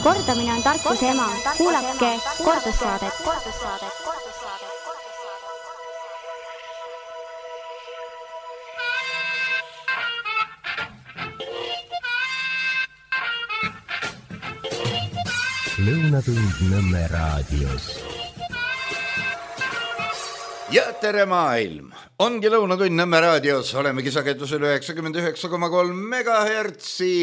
Kordamine on tarkuse ema. Kuulake kordussaadet. Lõunatund Nõmme raadios. Ja tere maailm! Ongi Lõunatund Nõmme raadios. Olemegi sagedusel 99,3 megahertsi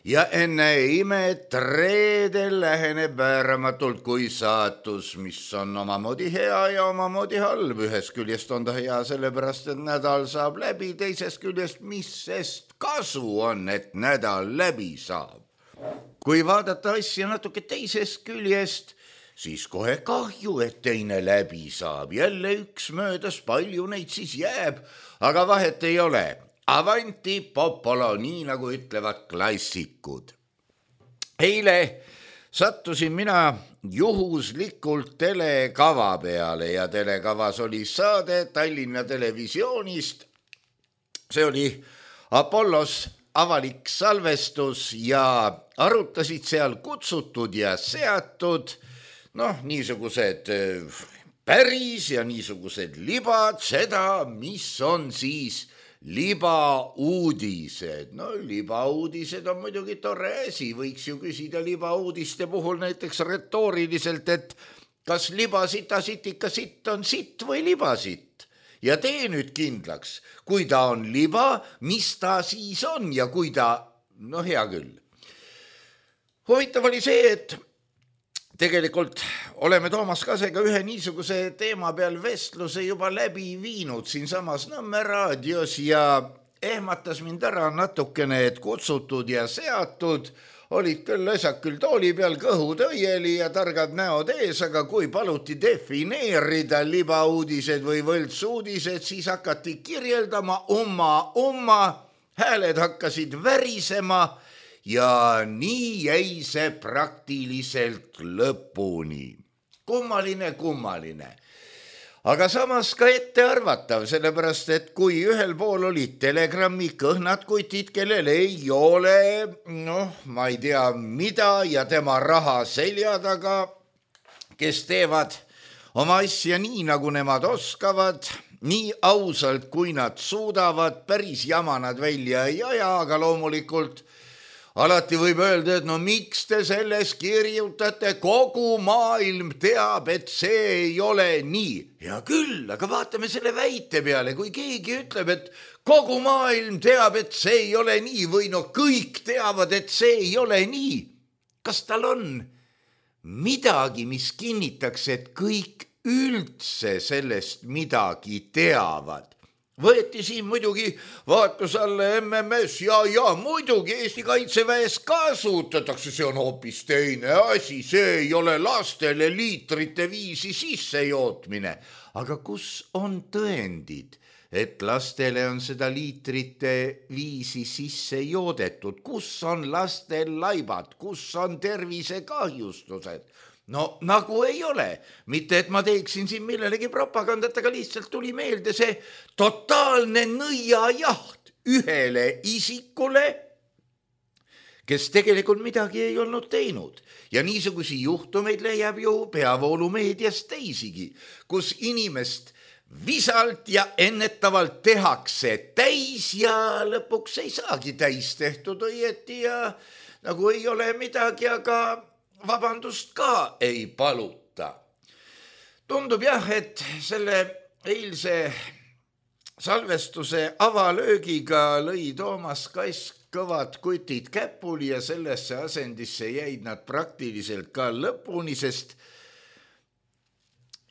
ja enne imet reedel läheneb vääramatult kui saatus, mis on omamoodi hea ja omamoodi halb. Ühest küljest on ta hea sellepärast, et nädal saab läbi, teisest küljest, mis sest kasu on, et nädal läbi saab. Kui vaadata asja natuke teisest küljest, siis kohe kahju, et teine läbi saab. Jälle üks möödas, palju neid siis jääb, aga vahet ei ole. Avanti popolo, nii nagu ütlevad klassikud. Eile sattusin mina juhuslikult telekava peale ja telekavas oli saade Tallinna Televisioonist. See oli Apollos avalik salvestus ja arutasid seal kutsutud ja seatud, niisugused päris ja niisugused libad, seda, mis on siis libauudised. Libauudised on muidugi tore asi, võiks ju küsida libauudiste puhul näiteks retooriliselt, et kas libasittasit ikka sitt on sitt või libasitt? Ja tee nüüd kindlaks, kui ta on liba, mis ta siis on ja kui ta, hea küll. Huvitav oli see, et tegelikult oleme Toomas Kasega ühe niisuguse teema peal vestluse juba läbi viinud siinsamas Nõmme raadios ja ehmatas mind ära natukene, et kutsutud ja seatud olid küll asjad küll tooli peal, kõhud õieli ja targad näod ees, aga kui paluti defineerida libauudised või võltsuudised, siis hakati kirjeldama umma, hääled hakkasid värisema ja nii jäi see praktiliselt lõpuni. Kummaline. Aga samas ka ettearvatav, sellepärast, et kui ühel pool olid Telegrammi kõhnad kutid, kellel ei ole, ma ei tea mida ja tema raha selja taga, kes teevad oma asja nii, nagu nemad oskavad, nii ausalt, kui nad suudavad, päris jama nad välja ei aja, aga loomulikult alati võib öelda, et miks te selles kirjutate, kogu maailm teab, et see ei ole nii. Ja küll, aga vaatame selle väite peale, kui keegi ütleb, et kogu maailm teab, et see ei ole nii või kõik teavad, et see ei ole nii. Kas tal on midagi, mis kinnitaks, et kõik üldse sellest midagi teavad? Võeti siin muidugi vaatus alla MMS ja muidugi Eesti Kaitseväes kasutatakse, see on hoopis teine asi, see ei ole lastele liitrite viisi sissejootmine. Aga kus on tõendid, et lastele on seda liitrite viisi sisse joodetud? Kus on lastel laibad, kus on tervisekahjustused? Nagu ei ole. Mitte, et ma teeksin siin millelegi propagandat, aga lihtsalt tuli meelde see totaalne nõiajaht ühele isikule, kes tegelikult midagi ei olnud teinud. Ja niisugusi juhtumeid leiab ju peavoolumeedias teisigi, kus inimest visalt ja ennetavalt tehakse täis ja lõpuks ei saagi täis tehtud õieti ja nagu ei ole midagi, aga vabandust ka ei paluta. Tundub jah, et selle eilse salvestuse avalöögiga lõi Toomas Kask kõvad kutid käpuli ja sellesse asendisse jäid nad praktiliselt ka lõpuni, sest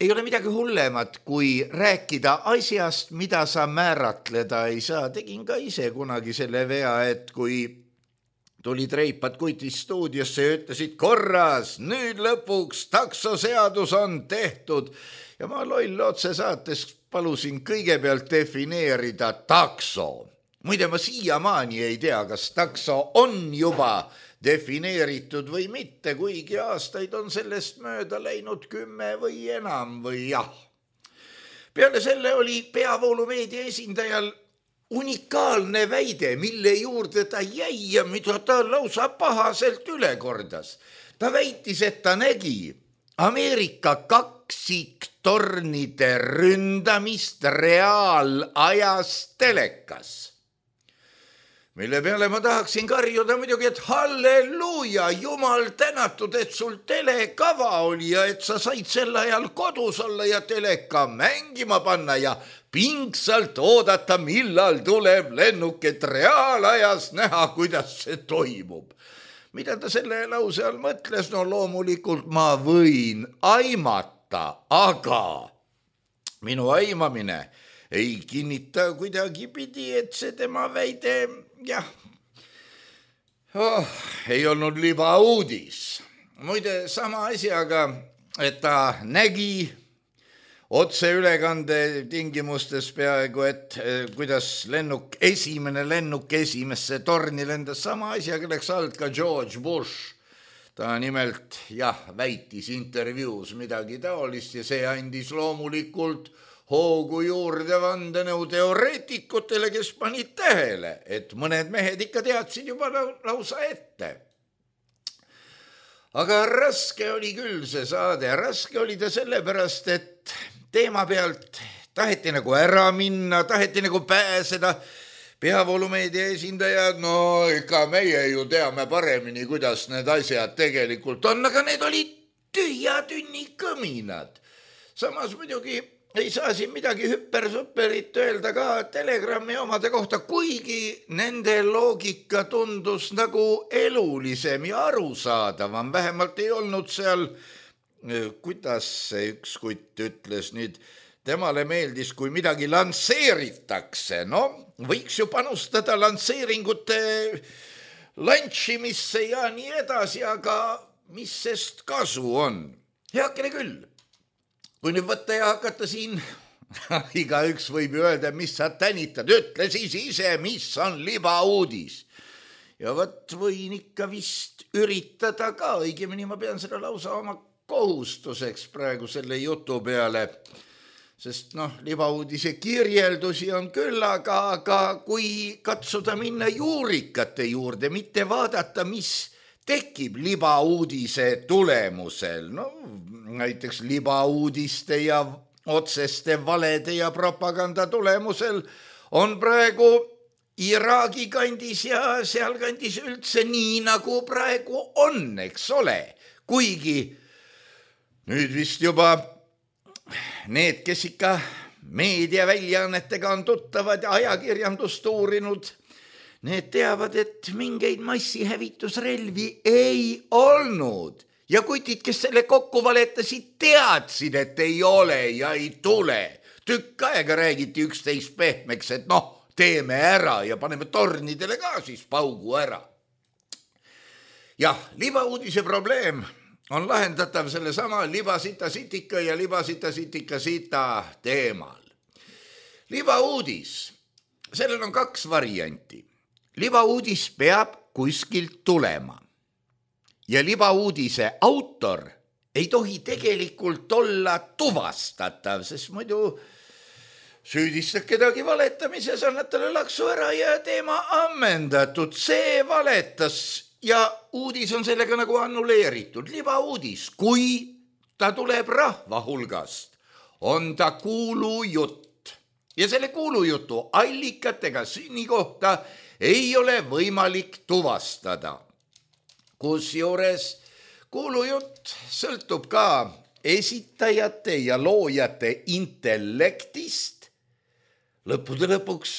ei ole midagi hullemat, kui rääkida asjast, mida sa määratleda ei saa. Tegin ka ise kunagi selle vea, et kui tulid reipad kutid stuudiosse ja ütlesid korras, nüüd lõpuks taksoseadus on tehtud. Ja ma loll otsesaates palusin kõigepealt defineerida takso. Muide, ma siiamaani ei tea, kas takso on juba defineeritud või mitte, kuigi aastaid on sellest mööda läinud 10 või enam või jah. Peale selle oli peavoolumeedia esindajal unikaalne väide, mille juurde ta jäi ja mida ta lausa pahaselt üle kordas. ta väitis, et ta nägi Ameerika kaksiktornide ründamist reaalajas telekas. Mille peale ma tahaksin karjuda muidugi, et halleluuja, jumal tänatud, et sul telekava oli ja et sa said sel ajal kodus olla ja teleka mängima panna ja pingsalt oodata, millal tuleb lennuk, et reaalajas näha, kuidas see toimub. Mida ta selle lause all mõtles? No loomulikult ma võin aimata, aga minu aimamine ei kinnita kuidagi pidi, et see tema väide, ei olnud libauudis. Muide, sama asjaga, et ta nägi otseülekande tingimustes peaaegu, et kuidas esimene lennuk esimesse torni lendas, sama asjaga läks alt ka George Bush. Ta nimelt, väitis intervjuus midagi taolist ja see andis loomulikult hoogu juurde vandenõuteoreetikutele, kes panid tähele, et mõned mehed ikka teadsid juba lausa ette. Aga raske oli küll see saade, raske oli ta sellepärast, et teema pealt taheti nagu ära minna, taheti nagu pääseda. Peavoolumeedia esindajad, no ikka meie ju teame paremini, kuidas need asjad tegelikult on, aga need olid tühja tünni kõminad. Samas muidugi ei saa siin midagi hüper-superit öelda ka Telegrami omade kohta, kuigi nende loogika tundus nagu elulisem ja arusaadavam. Vähemalt ei olnud seal, kuidas see üks kutt ütles nüüd, temale meeldis, kui midagi lansseeritakse. No, võiks ju panustada lansseeringute lantšimisse ja nii edasi, aga mis sest kasu on? Heakene küll. Kui nüüd võtta ja hakata siin, igaüks võib ju öelda, mis sa tänitad, ütle siis ise, mis on libauudis. Ja võt võin ikka vist üritada ka, õigemini ma pean seda lausa oma kohustuseks praegu selle jutu peale, sest libauudise kirjeldusi on küll, aga kui katsuda minna juurikate juurde, mitte vaadata, mis tekib libauudise tulemusel, näiteks libauudiste ja otseste valede ja propaganda tulemusel on praegu Iraagi kandis ja seal kandis üldse nii, nagu praegu on, eks ole. Kuigi nüüd vist juba need, kes ikka meediaväljaannetega on tuttavad ja ajakirjandust uurinud, need teavad, et mingeid massihävitusrelvi ei olnud. Ja kutid, kes selle kokku valetasid, teadsid, et ei ole ja ei tule. Tükk aega räägiti üksteist pehmeks, et teeme ära ja paneme tornidele ka siis paugu ära. Jah, libauudise probleem on lahendatav selle sama libasita-sitika ja libasita-sitika-sita teemal. Libauudis, sellel on 2 varianti. Libauudis peab kuskilt tulema ja libauudise autor ei tohi tegelikult olla tuvastatav, sest muidu süüdistad kedagi valetamises, annad talle laksu ära ja teema ammendatud. See valetas ja uudis on sellega nagu annuleeritud. Libauudis, kui ta tuleb rahva hulgast, on ta kuulujutt ja selle kuulujutu allikatega sünnikohta ei ole võimalik tuvastada. Kusjuures kuulujutt sõltub ka esitajate ja loojate intellektist. Lõppude lõpuks,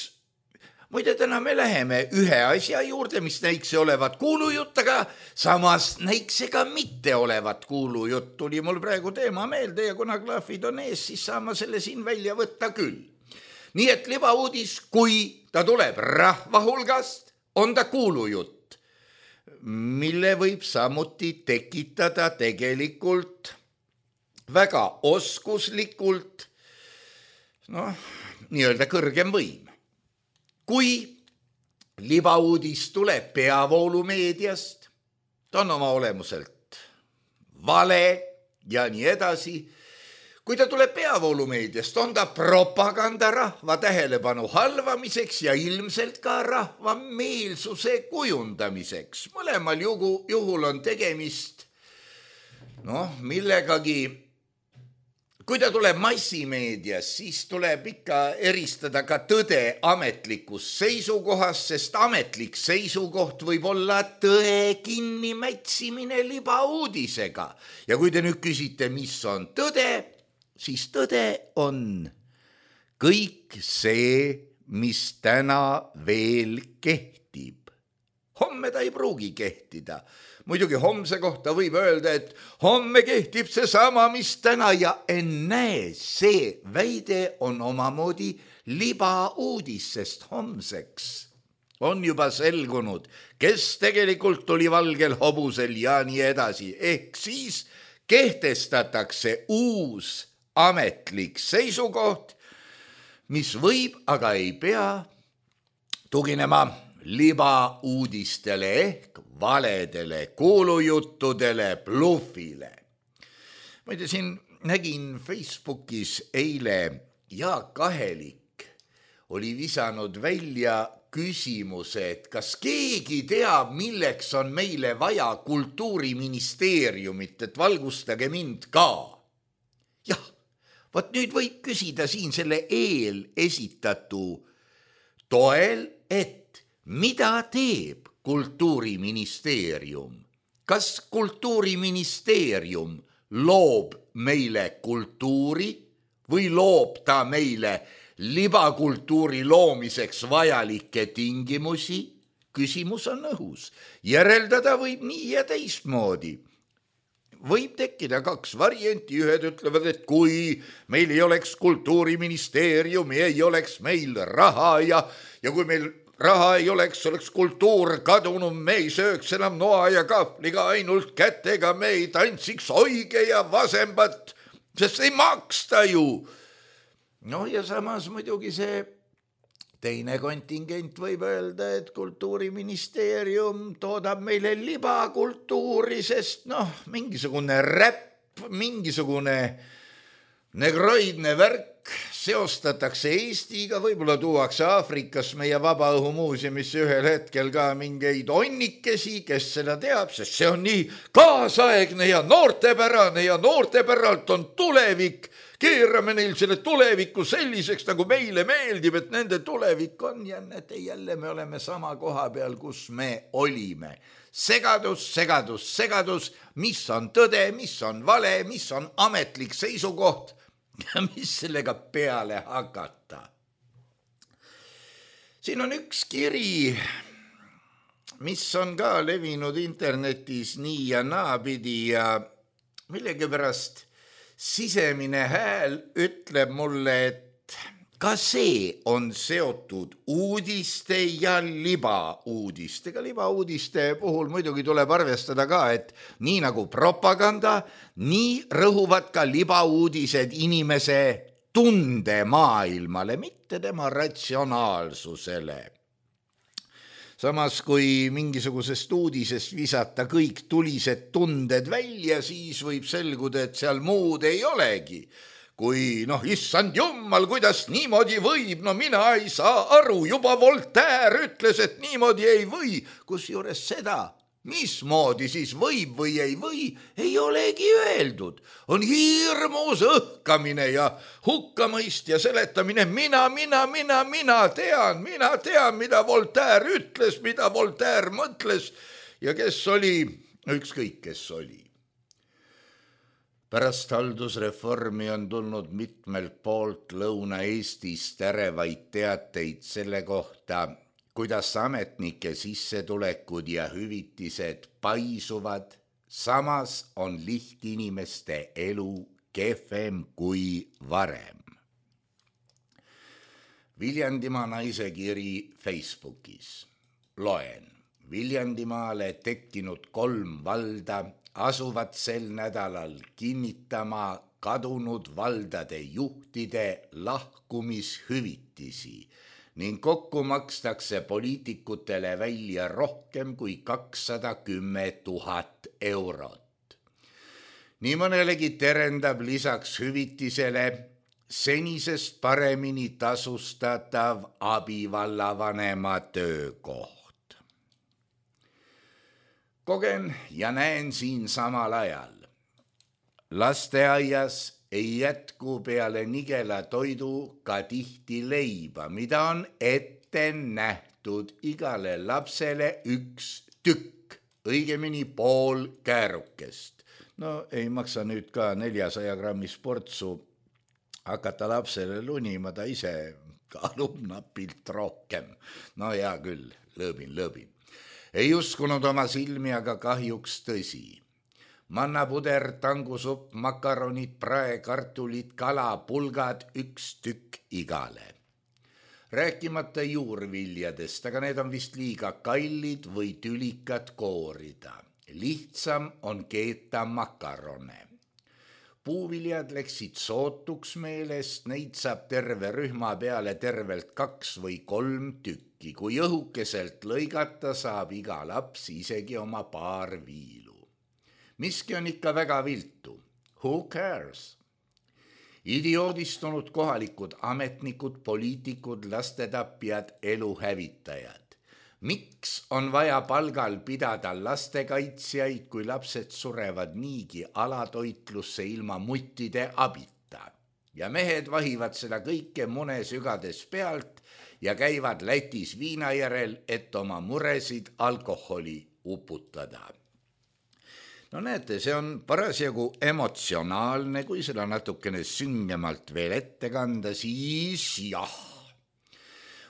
muide täna me läheme ühe asja juurde, mis näikse olevat kuulujutt, aga samas näikse ka mitte olevat kuulujutt. Tuli mul praegu teema meelde ja kuna klaafid on ees, siis saan ma selle siin välja võtta küll. Nii et libauudis, kui ta tuleb rahva hulgast, on ta kuulujutt, mille võib samuti tekitada tegelikult väga oskuslikult, nii-öelda kõrgem võim. Kui libauudis tuleb peavoolumeediast, ta on oma olemuselt vale ja nii edasi. Kui ta tuleb peavoolumeediast, on ta propaganda rahva tähelepanu halvamiseks ja ilmselt ka rahva meelsuse kujundamiseks. Mõlemal juhul on tegemist millegagi, kui ta tuleb massimeedias, siis tuleb ikka eristada ka tõde ametlikust seisukohast, sest ametlik seisukoht võib olla tõe kinnimätsimine libauudisega. Ja kui te nüüd küsite, mis on tõde, siis tõde on kõik see, mis täna veel kehtib. Homme ta ei pruugi kehtida. Muidugi homse kohta võib öelda, et homme kehtib see sama, mis täna ja ennäe, see väide on omamoodi libauudis, sest homseks on juba selgunud, kes tegelikult oli valgel hobusel ja nii edasi. Ehk siis kehtestatakse uus ametlik seisukoht, mis võib, aga ei pea tuginema libauudistele ehk valedele, kuulujuttudele, bluffile. Ma ei tea, siin nägin Facebookis eile Jaak Ahelik oli visanud välja küsimuse, et kas keegi teab, milleks on meile vaja kultuuriministeeriumit, et valgustage mind ka. Jah, vot nüüd võib küsida siin selle esitatu toel, et mida teeb kultuuriministeerium? Kas kultuuriministeerium loob meile kultuuri või loob ta meile libakultuuri loomiseks vajalikke tingimusi? Küsimus on õhus. Järeldada võib nii ja teistmoodi. Võib tekkida kaks varianti, ühed ütlevad, et kui meil ei oleks kultuuriministeeriumi, ei oleks meil raha ja kui meil raha ei oleks kultuur kadunud, me ei sööks enam noa ja kahvliga ainult kätega, me ei tantsiks oige ja vasembat, sest ei maksta ju. Ja samas muidugi see teine kontingent võib öelda, et kultuuriministeerium toodab meile libakultuuri, sest mingisugune räpp, mingisugune negroidne värk seostatakse Eestiga, võib-olla tuuakse Aafrikas meie Vabaõhumuuseumisse ühel hetkel ka mingeid onnikesi, kes seda teab, sest see on nii kaasaegne ja noortepärane ja noortepäralt on tulevik. Keerame neil selle tuleviku selliseks, nagu meile meeldib, et nende tulevik on ja jälle me oleme sama koha peal, kus me olime. Segadus, mis on tõde, mis on vale, mis on ametlik seisukoht ja mis sellega peale hakata. Siin on üks kiri, mis on ka levinud internetis nii ja naapidi ja millegipärast sisemine hääl ütleb mulle, et ka see on seotud uudiste ja libauudistega. Libauudiste puhul muidugi tuleb arvestada ka, et nii nagu propaganda, nii rõhuvad ka libauudised inimese tundemaailmale, mitte tema ratsionaalsusele. Samas, kui mingisugusest uudisest visata kõik tulised tunded välja, siis võib selguda, et seal muud ei olegi. Kui, issand jummal, kuidas niimoodi võib, mina ei saa aru, juba Voltaire ütles, et niimoodi ei või, kusjuures seda, mismoodi siis võib või ei olegi öeldud. On hirmus õhkamine ja hukkamõist ja seletamine, mina tean, mida Voltaire ütles, mida Voltaire mõtles ja kes oli, ükskõik kes oli. Pärast haldusreformi on tulnud mitmelt poolt Lõuna-Eestis terevaid teateid selle kohta, kuidas ametnike sissetulekud ja hüvitised paisuvad, samas on lihtinimeste elu kehvem kui varem. Viljandimaa naise kiri Facebookis. Loen. Viljandimaale tekkinud 3 valda asuvad sel nädalal kinnitama kadunud valdade juhtide lahkumishüvitisi ning kokku makstakse poliitikutele välja rohkem kui 210 000 eurot. Nii mõnelegi terendab lisaks hüvitisele senisest paremini tasustatav abivallavanema töökoht. Kogen ja näen siin samal ajal, lasteaias ei jätku peale nigela toidu ka tihti leiba, mida on ette nähtud igale lapsele üks tükk, õigemini pool käärukest. No ei maksa nüüd ka 400 grammi sportsu hakata lapsele lunima, ta ise kaalub napilt rohkem. No hea küll, lõõbin. Ei uskunud oma silmi, aga kahjuks tõsi. Mannapuder, tangusupp, makaronid, prae, kartulid, kala, pulgad, üks tükk igale. Rääkimata juurviljadest, aga need on vist liiga kallid või tülikad koorida. Lihtsam on keeta makarone. Puuviljad läksid sootuks meelest, neid saab terve rühma peale tervelt 2 või 3 tükki. Kui õhukeselt lõigata, saab iga laps isegi oma paar viilu. Miski on ikka väga viltu. Who cares? Idioodistunud kohalikud ametnikud, poliitikud, lastetapjad, eluhävitajad. Miks on vaja palgal pidada lastekaitsjaid, kui lapsed surevad niigi alatoitlusse ilma muttide abita? Ja mehed vahivad seda kõike mune sügades pealt ja käivad Lätis viina järel, et oma muresid alkoholi uputada. No näete, see on parasjagu emotsionaalne, kui seda natukene süngemalt veel ette kanda, siis jah.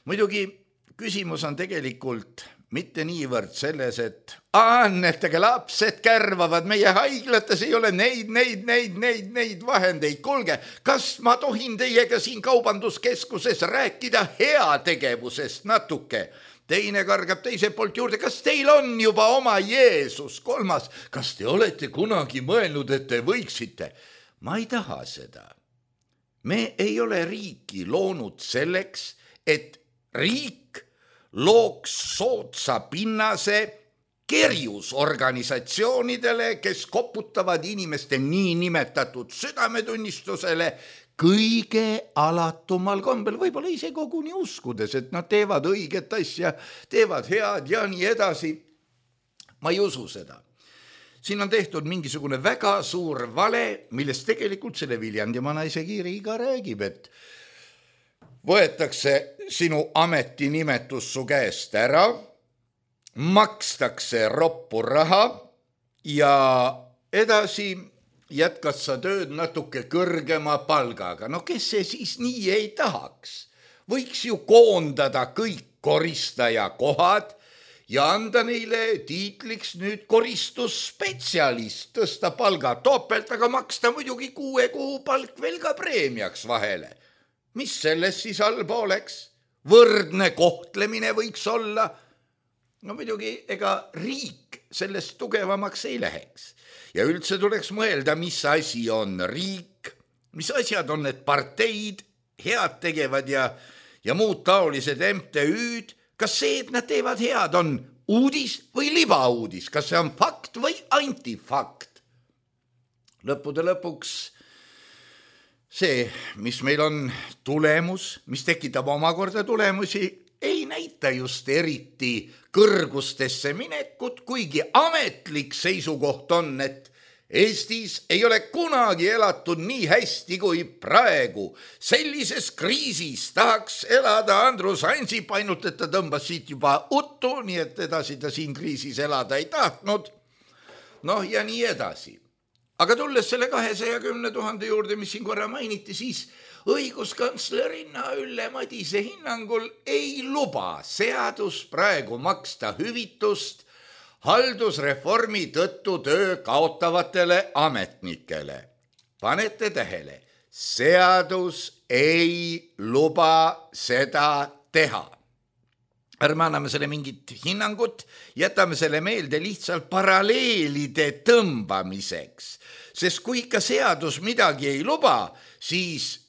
Muidugi küsimus on tegelikult mitte niivõrd selles, et annetega lapsed kärvavad meie haiglates, ei ole neid vahendeid. Kuulge, kas ma tohin teiega siin kaubanduskeskuses rääkida heategevusest natuke? Teine kargab teise poolt juurde, kas teil on juba oma Jeesus? Kolmas, kas te olete kunagi mõelnud, et te võiksite? Ma ei taha seda. Me ei ole riiki loonud selleks, et riik looks soodsa pinnase kerjusorganisatsioonidele, kes koputavad inimeste niinimetatud südametunnistusele kõige alatumal kombel, võib-olla ise koguni uskudes, et nad teevad õiget asja, teevad head ja nii edasi. Ma ei usu seda. Siin on tehtud mingisugune väga suur vale, millest tegelikult selle Viljandimaa naisekiri ka räägib, et võetakse sinu ametinimetus su käest ära, makstakse roppu raha ja edasi jätkad sa tööd natuke kõrgema palgaga. No kes see siis nii ei tahaks? Võiks ju koondada kõik koristaja kohad ja anda neile tiitliks nüüd koristusspetsialist, tõsta palga topelt, aga maksta muidugi 6 kuu palk veel ka preemiaks vahele. Mis selles siis halba oleks? Võrdne kohtlemine võiks olla. No muidugi, ega riik sellest tugevamaks ei läheks. Ja üldse tuleks mõelda, mis asi on riik, mis asjad on need parteid, head tegevad ja muud taolised MTÜ-d. Kas see, et nad teevad head, on uudis või libauudis? Kas see on fakt või antifakt? Lõppude lõpuks see, mis meil on tulemus, mis tekitab omakorda tulemusi, ei näita just eriti kõrgustesse minekut, kuigi ametlik seisukoht on, et Eestis ei ole kunagi elatud nii hästi kui praegu. Sellises kriisis tahaks elada Andrus Ansip, ainult et ta tõmbas siit juba uttu, nii et edasi ta siin kriisis elada ei tahtnud. Noh ja nii edasi. Aga tulles selle 210 000 juurde, mis siin korra mainiti, siis õiguskantslerina Ülle Madise hinnangul ei luba seadus praegu maksta hüvitust haldusreformi tõttu töö kaotavatele ametnikele. Panete tähele, seadus ei luba seda teha. Ärme anname selle mingit hinnangut, jätame selle meelde lihtsalt paralleelide tõmbamiseks. Sest kui ikka seadus midagi ei luba, siis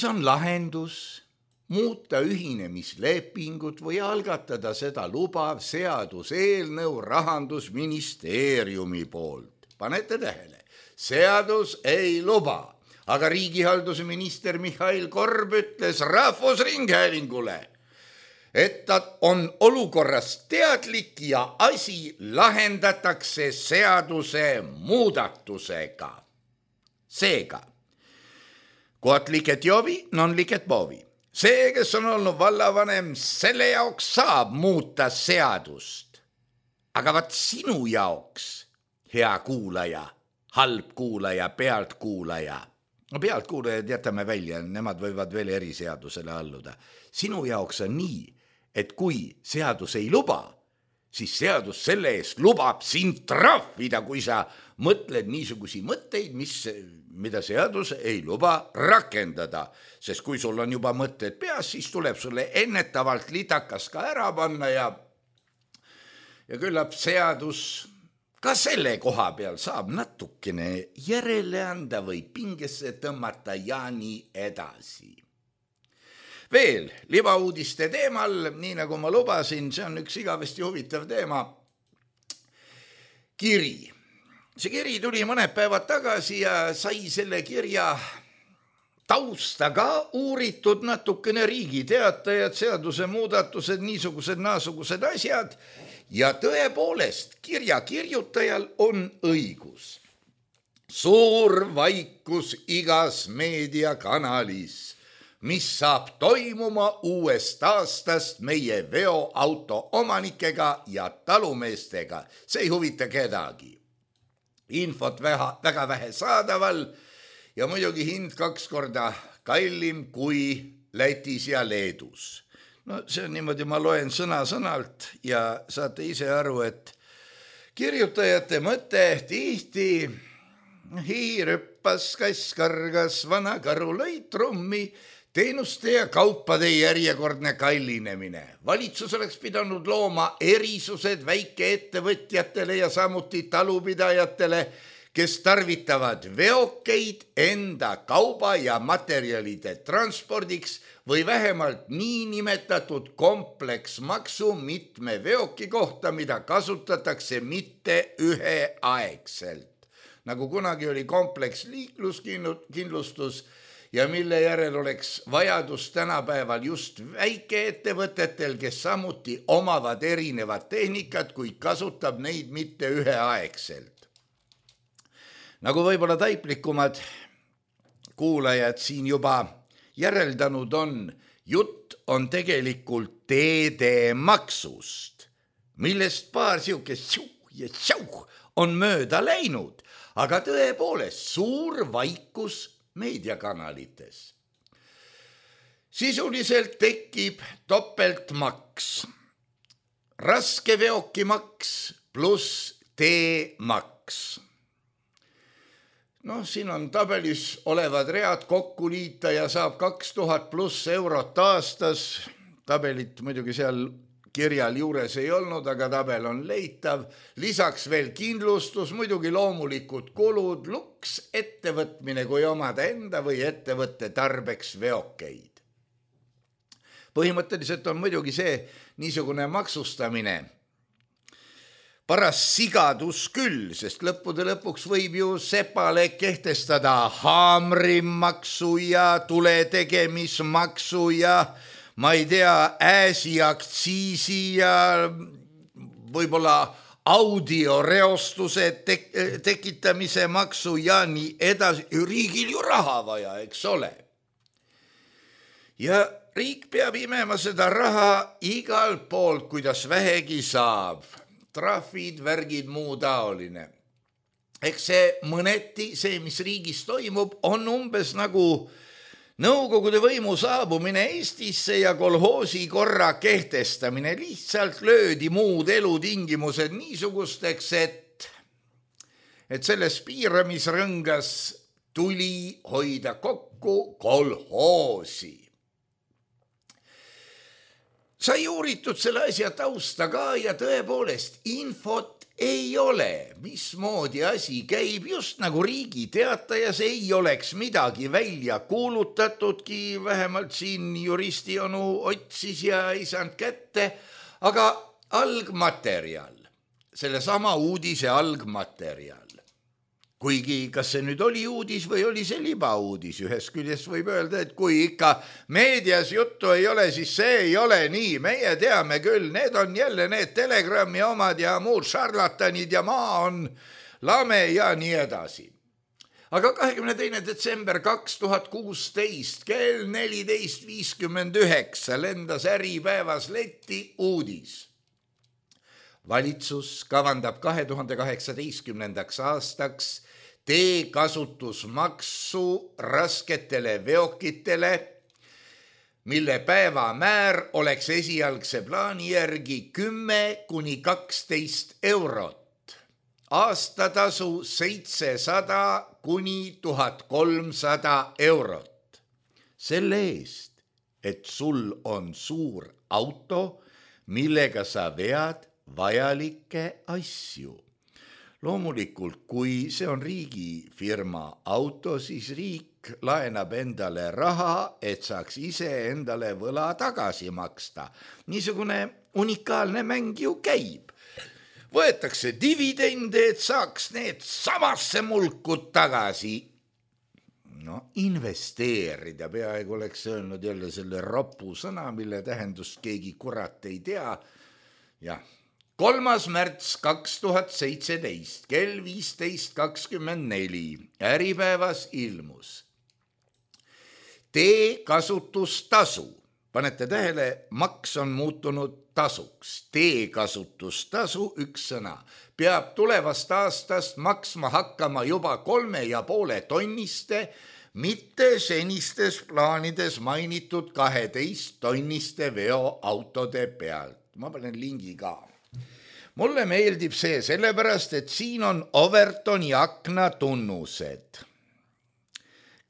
on lahendus muuta ühinemislepingut või algatada seda lubav seaduseelnõu Rahandusministeeriumi poolt. Panete tähele, seadus ei luba, aga riigihalduse minister Mihhail Korb ütles Rahvusringhäälingule, et ta on olukorras teadlik ja asi lahendatakse seaduse muudatusega. Seega, kohat liket jovi, non liket povi. See, kes on olnud vallavanem, selle jaoks saab muuta seadust. Aga vaat sinu jaoks, hea kuulaja, halb kuulaja, pealtkuulaja. No pealtkuulajad jätame välja, nemad võivad veel eriseadusele alluda. Sinu jaoks on nii, et kui seadus ei luba, siis seadus selle eest lubab sind trahvida, kui sa mõtled niisugusi mõtteid, mida seadus ei luba rakendada. Sest kui sul on juba mõtted peas, siis tuleb sulle ennetavalt litakas ka ära panna ja küllap seadus ka selle koha peal saab natukene järele anda või pingesse tõmmata ja nii edasi. Veel libauudiste teemal, nii nagu ma lubasin, see on üks igavesti huvitav teema. Kiri. See kiri tuli mõned päevad tagasi ja sai selle kirja tausta ka uuritud natukene Riigi Teatajad, seaduse muudatused, naasugused asjad ja tõepoolest kirja kirjutajal on õigus. Suur vaikus igas meediakanalis, mis saab toimuma uuest aastast meie veoauto omanikega ja talumeestega. See ei huvita kedagi. Infot väga vähe saadaval ja muidugi hind 2 korda kallim kui Lätis ja Leedus. No see on niimoodi, ma loen sõna-sõnalt ja saate ise aru, et kirjutajate mõte tihti hiir hüppas, kass kargas, vana karu lõi trummi, teenuste ja kaupade järjekordne kallinemine. Valitsus oleks pidanud looma erisused väikeettevõtjatele ja samuti talupidajatele, kes tarvitavad veokeid enda kauba ja materjalide transpordiks või vähemalt niinimetatud kompleksmaksu mitme veoki kohta, mida kasutatakse mitte üheaegselt. Nagu kunagi oli kompleks liikluskindlustus, ja mille järel oleks vajadus tänapäeval just väikeettevõtetel, kes samuti omavad erinevad tehnikat, kuid kasutab neid mitte üheaegselt. Nagu võib-olla taiplikumad kuulajad siin juba järeldanud on, jutt on tegelikult teedemaksust, millest paar siukest on mööda läinud, aga tõepoolest suur vaikus meediakanalites. Sisuliselt tekib topeltmaks, raskeveokimaks pluss teemaks. Siin on tabelis olevad read kokku liita ja saab 2000 pluss eurot aastas. Tabelit muidugi seal kirjal juures ei olnud, aga tabel on leitav. Lisaks veel kindlustus, muidugi loomulikud kulud, luks, ettevõtmine, kui omada enda või ettevõtte tarbeks veokeid. Põhimõtteliselt on muidugi see niisugune maksustamine paras sigadus küll, sest lõppude lõpuks võib ju sepale kehtestada haamrimaksu ja tuletegemismaksu ja ma ei tea, ääsiaktsiisi ja võib-olla audioreostuse tekitamise maksu ja nii edasi. Riigil ju raha vaja, eks ole. Ja riik peab imema seda raha igalt poolt, kuidas vähegi saab. Trahvid, värgid, muu taoline. Eks see mõneti, see mis riigis toimub, on umbes nagu Nõukogude võimu saabumine Eestisse ja kolhoosi korra kehtestamine. Lihtsalt löödi muud elutingimused niisugusteks, et selles piiramisrõngas tuli hoida kokku kolhoosi. Sai uuritud selle asja tausta ka ja tõepoolest infot ei ole, mismoodi asi käib, just nagu Riigi Teatajas ei oleks midagi välja kuulutatudki, vähemalt siin juristionu otsis ja ei saanud kätte, aga algmaterjal, selle sama uudise algmaterjal Kuigi kas see nüüd oli uudis või oli see libauudis, ühest küljest võib öelda, et kui ikka meedias juttu ei ole, siis see ei ole nii. Meie teame küll, need on jälle need Telegrami omad ja muud šarlatanid ja maa on lame ja nii edasi. Aga 22. detsember 2016 kell 14.59 lendas Äripäevas letti uudis. Valitsus kavandab 2018. aastaks teekasutusmaksu rasketele veokitele, mille päevamäär oleks esialgse plaani järgi 10–12 eurot. Aastatasu 700–1300 eurot. Selle eest, et sul on suur auto, millega sa vead vajalikke asju. Loomulikult, kui see on riigifirma auto, siis riik laenab endale raha, et saaks ise endale võla tagasi maksta. Niisugune unikaalne mäng ju käib. Võetakse dividende, et saaks need samasse mulkud tagasi. Investeerida, peaaegu oleks öelnud jälle selle ropu sõna, mille tähendust keegi kurat ei tea. Jah. 3. märts 2017 kell 15.24 Äripäevas ilmus teekasutustasu. Panete tähele, maks on muutunud tasuks. Teekasutustasu, üks sõna, peab tulevast aastast maksma hakkama juba 3,5 tonniste, mitte senistes plaanides mainitud 12 tonniste veoautode pealt. Ma panen lingi ka. Mulle meeldib see sellepärast, et siin on Overtoni akna tunnused.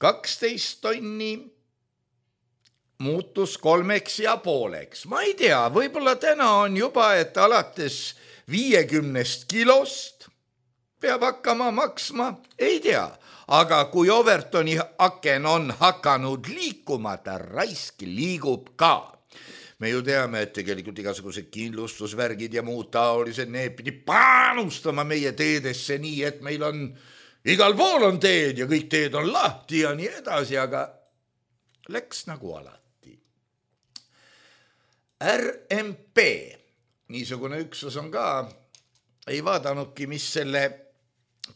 12 tonni muutus 3,5. Ma ei tea, võib-olla täna on juba, et alates 50 kilost peab hakkama maksma, ei tea. Aga kui Overtoni aken on hakanud liikuma, ta raisk liigub ka. Me ju teame, et tegelikult igasugused kindlustusvärgid ja muud taolised, need pidi panustama meie teedesse nii, et meil on, igal pool on teed ja kõik teed on lahti ja nii edasi, aga läks nagu alati. RMP, niisugune üksus on ka, ei vaadanudki, mis selle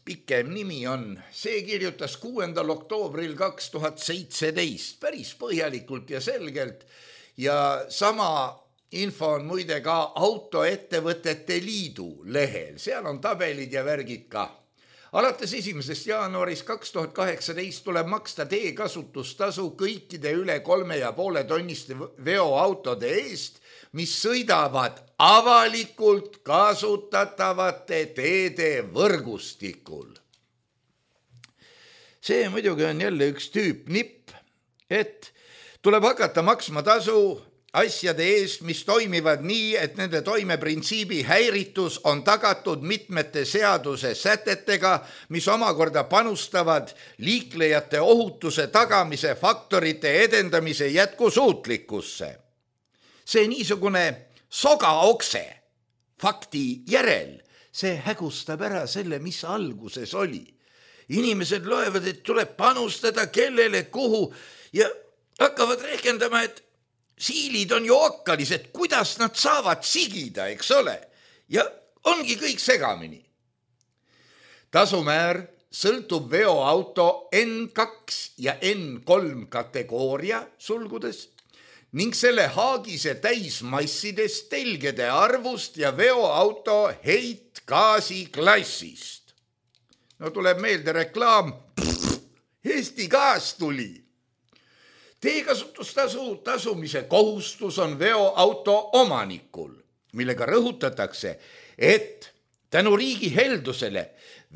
pikem nimi on. See kirjutas 6. oktoobril 2017 päris põhjalikult ja selgelt. Ja sama info on muide ka Autoettevõtete Liidu lehel. Seal on tabelid ja värgid ka. Alates 1. jaanuarist 2018 tuleb maksta teekasutustasu kõikide üle 3,5 tonniste veoautode eest, mis sõidavad avalikult kasutatavate teede võrgustikul. See muidugi on jälle üks tüüp nipp, et tuleb hakata maksma tasu asjade eest, mis toimivad nii, et nende toimeprintsiibi häiritus on tagatud mitmete seaduse sätetega, mis omakorda panustavad liiklejate ohutuse tagamise faktorite edendamise jätkusuutlikkusse. See niisugune sogaokse fakti järel, see hägustab ära selle, mis alguses oli. Inimesed loevad, et tuleb panustada kellele, kuhu ja hakkavad rehkendama, et siilid on ju okkalised, kuidas nad saavad sigida, eks ole? Ja ongi kõik segamini. Tasumäär sõltub veoauto N2 ja N3 kategooria sulgudes ning selle haagise täismassidest, telgede arvust ja veoauto heitgaasi klassist. No tuleb meelde reklaam, Eesti Gaas tuli. Teekasutustasu tasumise kohustus on veoauto omanikul, millega rõhutatakse, et tänu riigi heldusele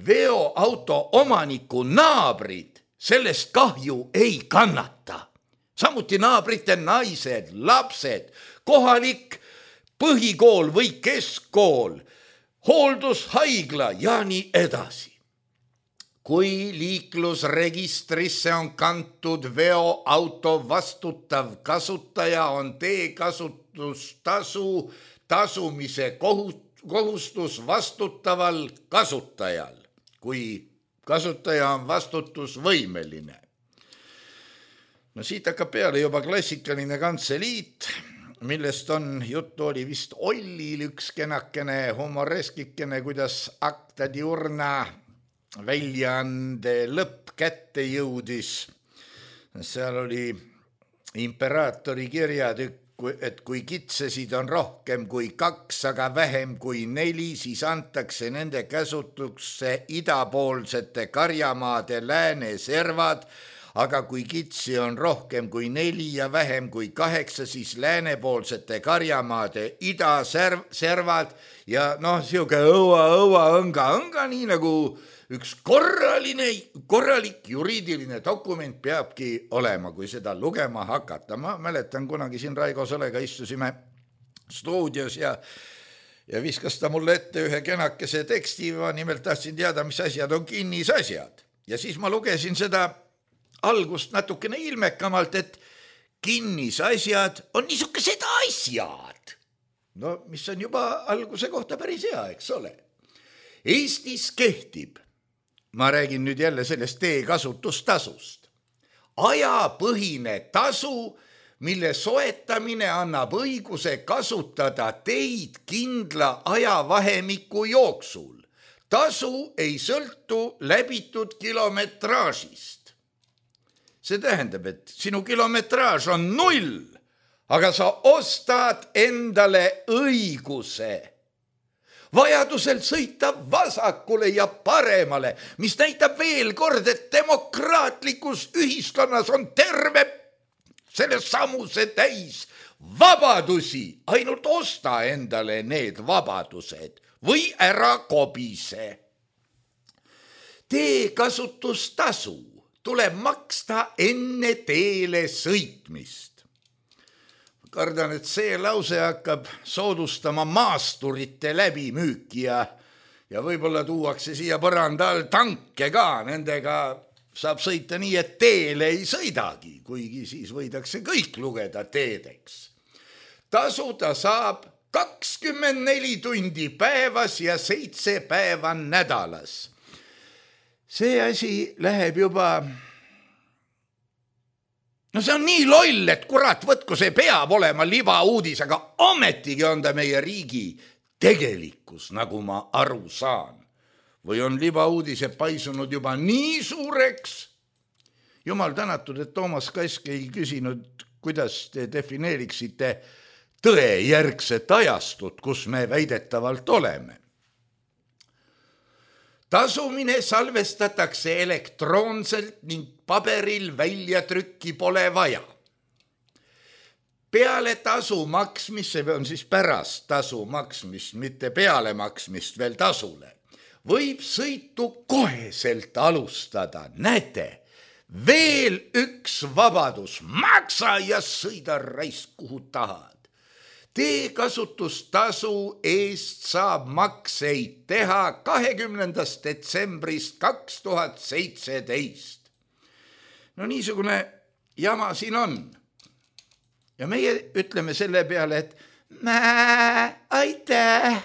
veoauto omaniku naabrid sellest kahju ei kannata. Samuti naabrite naised, lapsed, kohalik põhikool või keskkool, hooldushaigla ja nii edasi. Kui liiklusregistrisse on kantud veoauto vastutav kasutaja, on teekasutustasu tasumise kohustus vastutaval kasutajal. Kui kasutaja on vastutusvõimeline. No siit hakkab peale juba klassikaline kantseliit, millest on juttu, oli vist Ollil üks kenakene humoreskikene, kuidas Acta Diurna väljaande lõpp kätte jõudis. Seal oli imperaatori kirjatükk, et kui kitsesid on rohkem kui 2, aga vähem kui 4, siis antakse nende käsutusse idapoolsete karjamaade lääneservad, aga kui kitsi on rohkem kui 4 ja vähem kui 8, siis läänepoolsete karjamaade idaservad ja siuke õnga, nii nagu üks korralik juriidiline dokument peabki olema, kui seda lugema hakata. Ma mäletan, kunagi siin Raigo Solega istusime stuudios ja viskas ta mulle ette ühe kenakese teksti, ma nimelt tahtsin teada, mis asjad on kinnisasjad. Ja siis ma lugesin seda algust natukene ilmekamalt, et kinnisasjad on niisugused asjad. No mis on juba alguse kohta päris hea, eks ole. Eestis kehtib, ma räägin nüüd jälle sellest teekasutustasust, ajapõhine tasu, mille soetamine annab õiguse kasutada teid kindla ajavahemiku jooksul. Tasu ei sõltu läbitud kilometraažist. See tähendab, et sinu kilometraaž on 0, aga sa ostad endale õiguse vajadusel sõita vasakule ja paremale, mis näitab veel kord, et demokraatlikus ühiskonnas on terve selle samuse täis vabadusi. Ainult osta endale need vabadused või ära kobise. Teekasutustasu tuleb maksta enne teele sõitmist. Kardan, et see lause hakkab soodustama maasturite läbimüüki ja võib-olla tuuakse siia põranda all tanke ka. Nendega saab sõita nii, et teele ei sõidagi, kuigi siis võidakse kõik lugeda teedeks. Tasuda saab 24 tundi päevas ja 7 päeva nädalas. See asi läheb juba... No see on nii loll, et kurat, võtku see peab olema libauudis, aga ometigi on ta meie riigi tegelikkus, nagu ma aru saan. Või on libauudise paisunud juba nii suureks? Jumal tänatud, et Toomas Kask ei küsinud, kuidas te defineeriksite tõejärgset ajastut, kus me väidetavalt oleme. Tasumine salvestatakse elektroonselt ning paberil väljatrükki pole vaja. Peale tasu maksmist, see on siis pärast tasu maksmist, mitte peale maksmist veel tasule, võib sõitu koheselt alustada. Näete, veel üks vabadus, maksa ja sõida raisk kuhu tahad. Teekasutustasu eest saab makseid teha 20. detsembrist 2017. No niisugune jama siin on. Ja meie ütleme selle peale, et aitäh,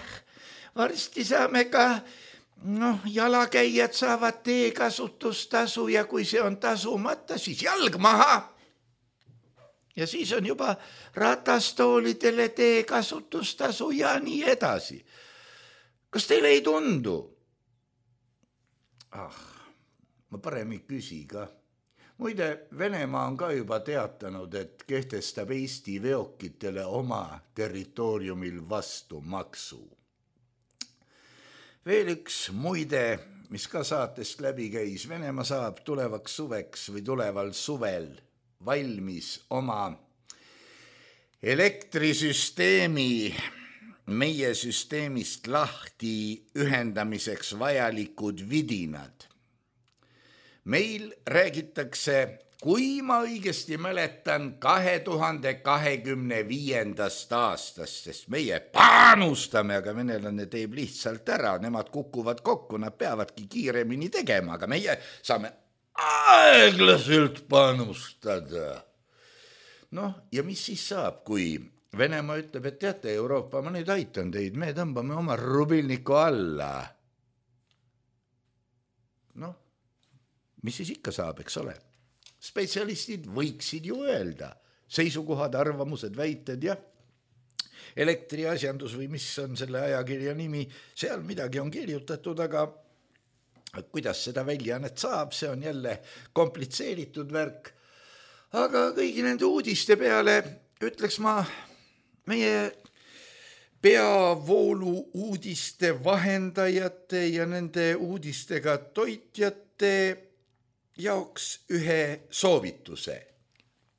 varsti saame ka, jalakäijad saavad teekasutustasu ja kui see on tasumata, siis jalg maha. Ja siis on juba ratastoolidele teekasutustasu ja nii edasi. Kas teile ei tundu? Ma parem ei küsi ka. Muide, Venemaa on ka juba teatanud, et kehtestab Eesti veokitele oma territooriumil vastu maksu. Veel üks muide, mis ka saatest läbi käis, Venemaa saab tulevaks suveks või tuleval suvel valmis oma elektrisüsteemi meie süsteemist lahti ühendamiseks vajalikud vidinad. Meil räägitakse, kui ma õigesti mäletan, 2025. aastast, sest meie panustame, aga venelane teeb lihtsalt ära, nemad kukuvad kokku, nad peavadki kiiremini tegema, aga meie saame aeglaselt panustada. Ja mis siis saab, kui Venemaa ütleb, et teate, Euroopa, ma nüüd aitan teid, me tõmbame oma rubilniku alla. mis siis ikka saab, eks ole. Spetsialistid võiksid ju öelda seisukohad, arvamused, väited ja elektriasjandus või mis on selle ajakirja nimi, seal midagi on kirjutatud, aga kuidas seda väljaannet saab, see on jälle komplitseeritud värk. Aga kõigi nende uudiste peale ütleks ma meie peavoolu uudiste vahendajate ja nende uudistega toitjate jaoks ühe soovituse.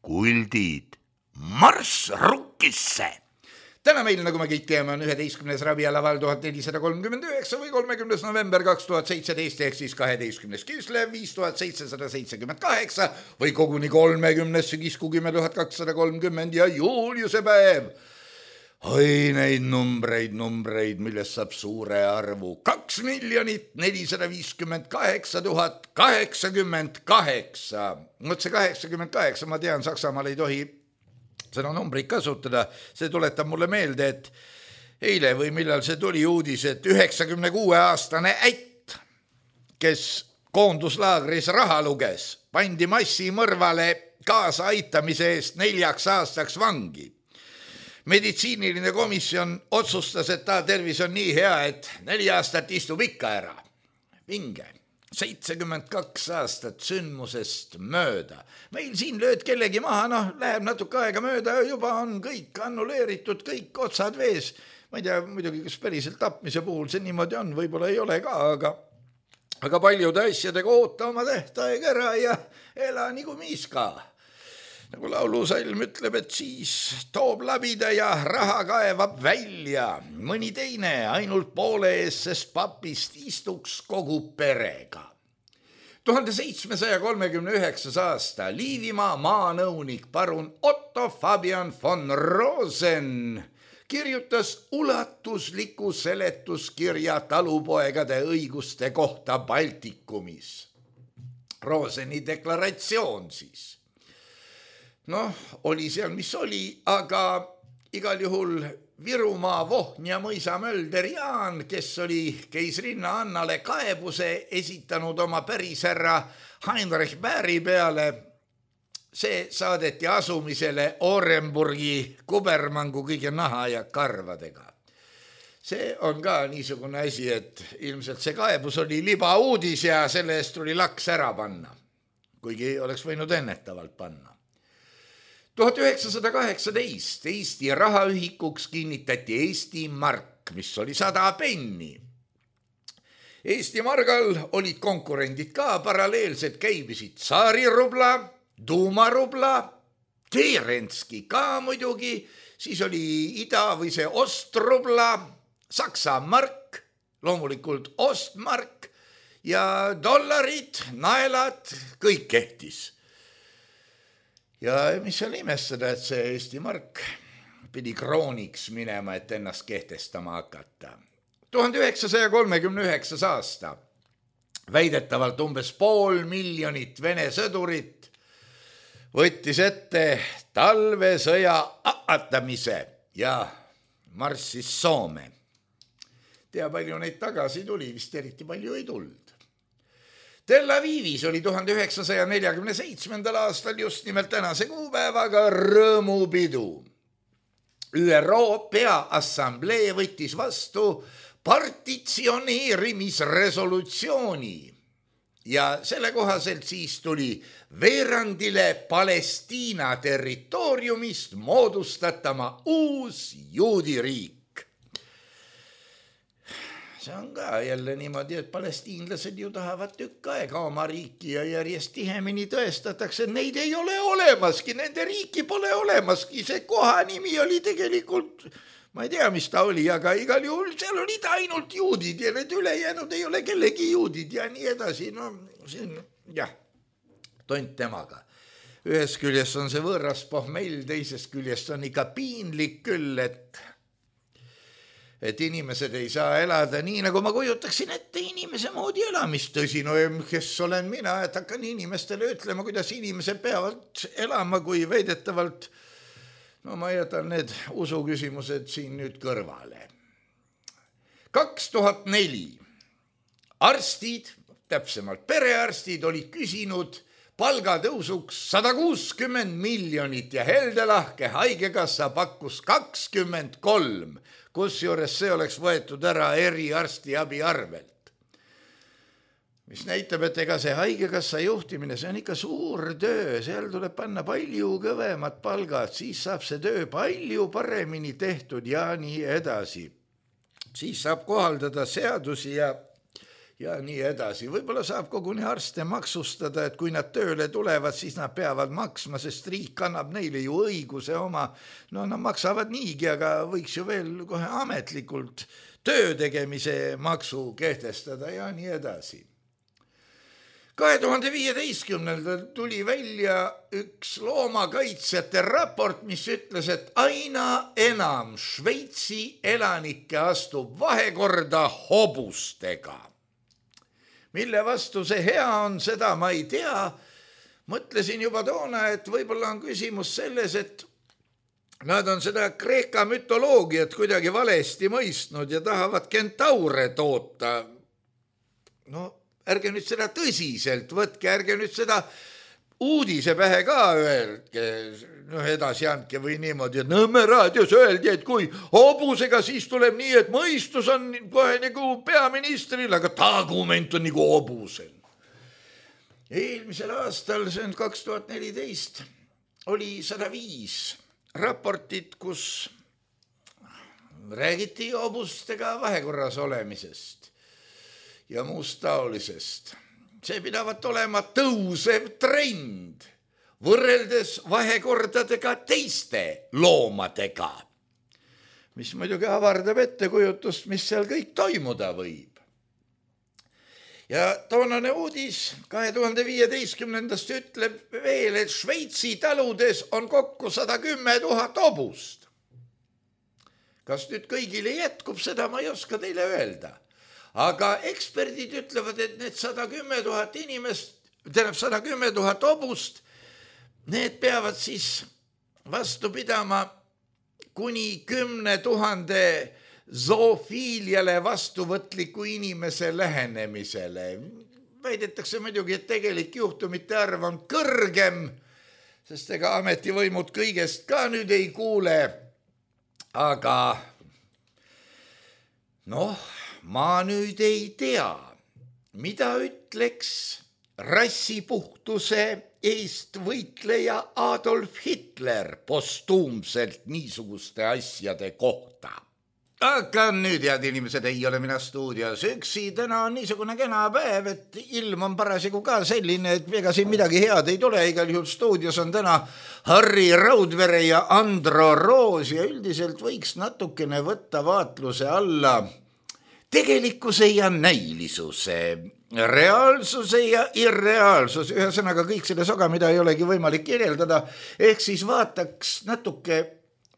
Kuldid, marss rukkisse! Täna meil, nagu me kõik teame, on 11. rabialaval 1439 või 30. november 2017 ehk siis 12. Kislev 5778 või koguni 30. sügiskuu 10.230 ja Juliuse päev. Oi neid numbreid, millest saab suure arvu 2 458 088. Mõt see 88, ma tean, Saksamaal ei tohi seda numbrit kasutada, see tuletab mulle meelde, et eile või millal see tuli uudis, et 96-aastane ätt, kes koonduslaagris raha luges, pandi massimõrvale kaasa aitamise eest 4 aastaks vangi. Meditsiiniline komisjon otsustas, et ta tervis on nii hea, et 4 aastat istub ikka ära. Vinge. 72 aastat sündmusest mööda. Meil siin lööd kellegi maha, läheb natuke aega mööda, juba on kõik annuleeritud, kõik otsad vees. Ma ei tea, muidugi, kas päriselt tapmise puhul see niimoodi on, võib-olla ei ole ka, aga paljude asjadega oota oma tähtaeg ära ja ela nagu miis ka. Nagu laulusalm ütleb, et siis toob labida ja raha kaevab välja. Mõni teine ainult poole ees, sest papist istuks kogu perega. 1739 aasta Liivimaa maanõunik parun Otto Fabian von Rosen kirjutas ulatusliku seletuskirja talupoegade õiguste kohta Baltikumis. Roseni deklaratsioon siis. Oli seal, mis oli, aga igal juhul Virumaa Vohnia mõisa Mölder Jaan, kes oli keisrinna Annale kaebuse esitanud oma pärisherra Heinrich Bäri peale, see saadeti asumisele Orenburgi kubermangu kõige naha ja karvadega. See on ka niisugune asi, et ilmselt see kaebus oli libauudis ja selle eest tuli laks ära panna, kuigi oleks võinud ennetavalt panna. 1918 Eesti rahaühikuks kinnitati Eesti mark, mis oli 100 penni. Eesti margal olid konkurendid ka, paralleelselt käibisid Tsaari-rubla, Duuma-rubla, Terenski ka muidugi, siis oli ida või see Ostrubla, Saksa mark, loomulikult Ostmark ja dollarid, naelad, kõik kehtis. Ja mis seal imestada, et see Eesti mark pidi krooniks minema, et ennast kehtestama hakata. 1939 aasta väidetavalt umbes 500 000 Vene sõdurit võttis ette talvesõja ahatamise ja marssis Soome. Tea, palju neid tagasi tuli, vist eriti palju ei tulnud. Tel Avivis oli 1947. aastal just nimelt tänase kuupäevaga rõõmupidu. ÜRO Peaassamblee võttis vastu partitsioneerimisresolutsiooni ja selle kohaselt siis tuli veerandile Palestiina territooriumist moodustatama uus juudiriik. See on ka jälle niimoodi, et palestiinlased ju tahavad tükk aega oma riiki ja järjest tihemini tõestatakse, et neid ei ole olemaski, nende riiki pole olemaski, see koha nimi oli tegelikult, ma ei tea, mis ta oli, aga igal juhul seal olid ainult juudid ja need ülejäänud ei ole kellegi juudid ja nii edasi, tont temaga. Ühest küljest on see võõras pohmell, teisest küljest on ikka piinlik küll, et inimesed ei saa elada nii, nagu ma kujutaksin ette inimese moodi elamist. Tõsi, kes olen mina, et hakkan inimestele ütlema, kuidas inimesed peavad elama, kui väidetavalt, ma jätan need usuküsimused siin nüüd kõrvale. 2004 arstid, täpsemalt perearstid olid küsinud palgatõusuks 160 miljonit ja heldelahke haigekassa pakkus 23, kusjuures see oleks võetud ära eriarstiabi arvelt. Mis näitab, et ega see haigekassa juhtimine, see on ikka suur töö, seal tuleb panna palju kõvemad palgad, siis saab see töö palju paremini tehtud ja nii edasi. Siis saab kohaldada seadusi ja nii edasi. Võib-olla saab koguni arste maksustada, et kui nad tööle tulevad, siis nad peavad maksma, sest riik annab neile ju õiguse oma. No nad maksavad niigi, aga võiks ju veel kohe ametlikult töö tegemise maksu kehtestada ja nii edasi. 2015. tuli välja üks loomakaitsjate raport, mis ütles, et aina enam Šveitsi elanikke astub vahekorda hobustega. Mille vastu see hea on, seda ma ei tea. Mõtlesin juba toona, et võib-olla on küsimus selles, et nad on seda Kreeka mütoloogiat kuidagi valesti mõistnud ja tahavad kentaure toota. No, ärge nüüd seda tõsiselt võtke, ärge nüüd seda uudise pähe ka öelge, edasi andke või niimoodi, et Nõmme raadios öeldi, et kui hobusega siis tuleb nii, et mõistus on kohe nagu peaministril, aga argument on nagu hobusel. Eelmisel aastal, see on 2014, oli 105 raportit, kus räägiti hobustega vahekorras olemisest ja muust taolisest. See pidavat olema tõusev trend võrreldes vahekordadega teiste loomadega, mis muidugi avardab ettekujutust, mis seal kõik toimuda võib. Ja toonane uudis 2015. ütleb veel, et Šveitsi taludes on kokku 110 000 hobust. Kas nüüd kõigile jätkub, seda ma ei oska teile öelda. Aga eksperdid ütlevad, et need 110 000 inimest, 110 000 hobust, need peavad siis vastu pidama kuni 10 000 zoofiiliale vastuvõtliku inimese lähenemisele. Väidetakse muidugi, et tegelik juhtumite arv on kõrgem, sest ega ametivõimud kõigest ka nüüd ei kuule. Aga ma nüüd ei tea, mida ütleks rassipuhtuse eest võitleja Adolf Hitler postuumselt niisuguste asjade kohta. Aga nüüd, head inimesed, ei ole mina stuudios üksi. Täna on niisugune kena päev, et ilm on parasjagu ka selline, et ega siin midagi head ei tule. Igal juhul stuudios on täna Harri Raudvere ja Andro Roos ja üldiselt võiks natukene võtta vaatluse alla tegelikkuse ja näilisuse, reaalsuse ja irreaalsus, ühesõnaga kõik selle soga, mida ei olegi võimalik kirjeldada, ehk siis vaataks natuke,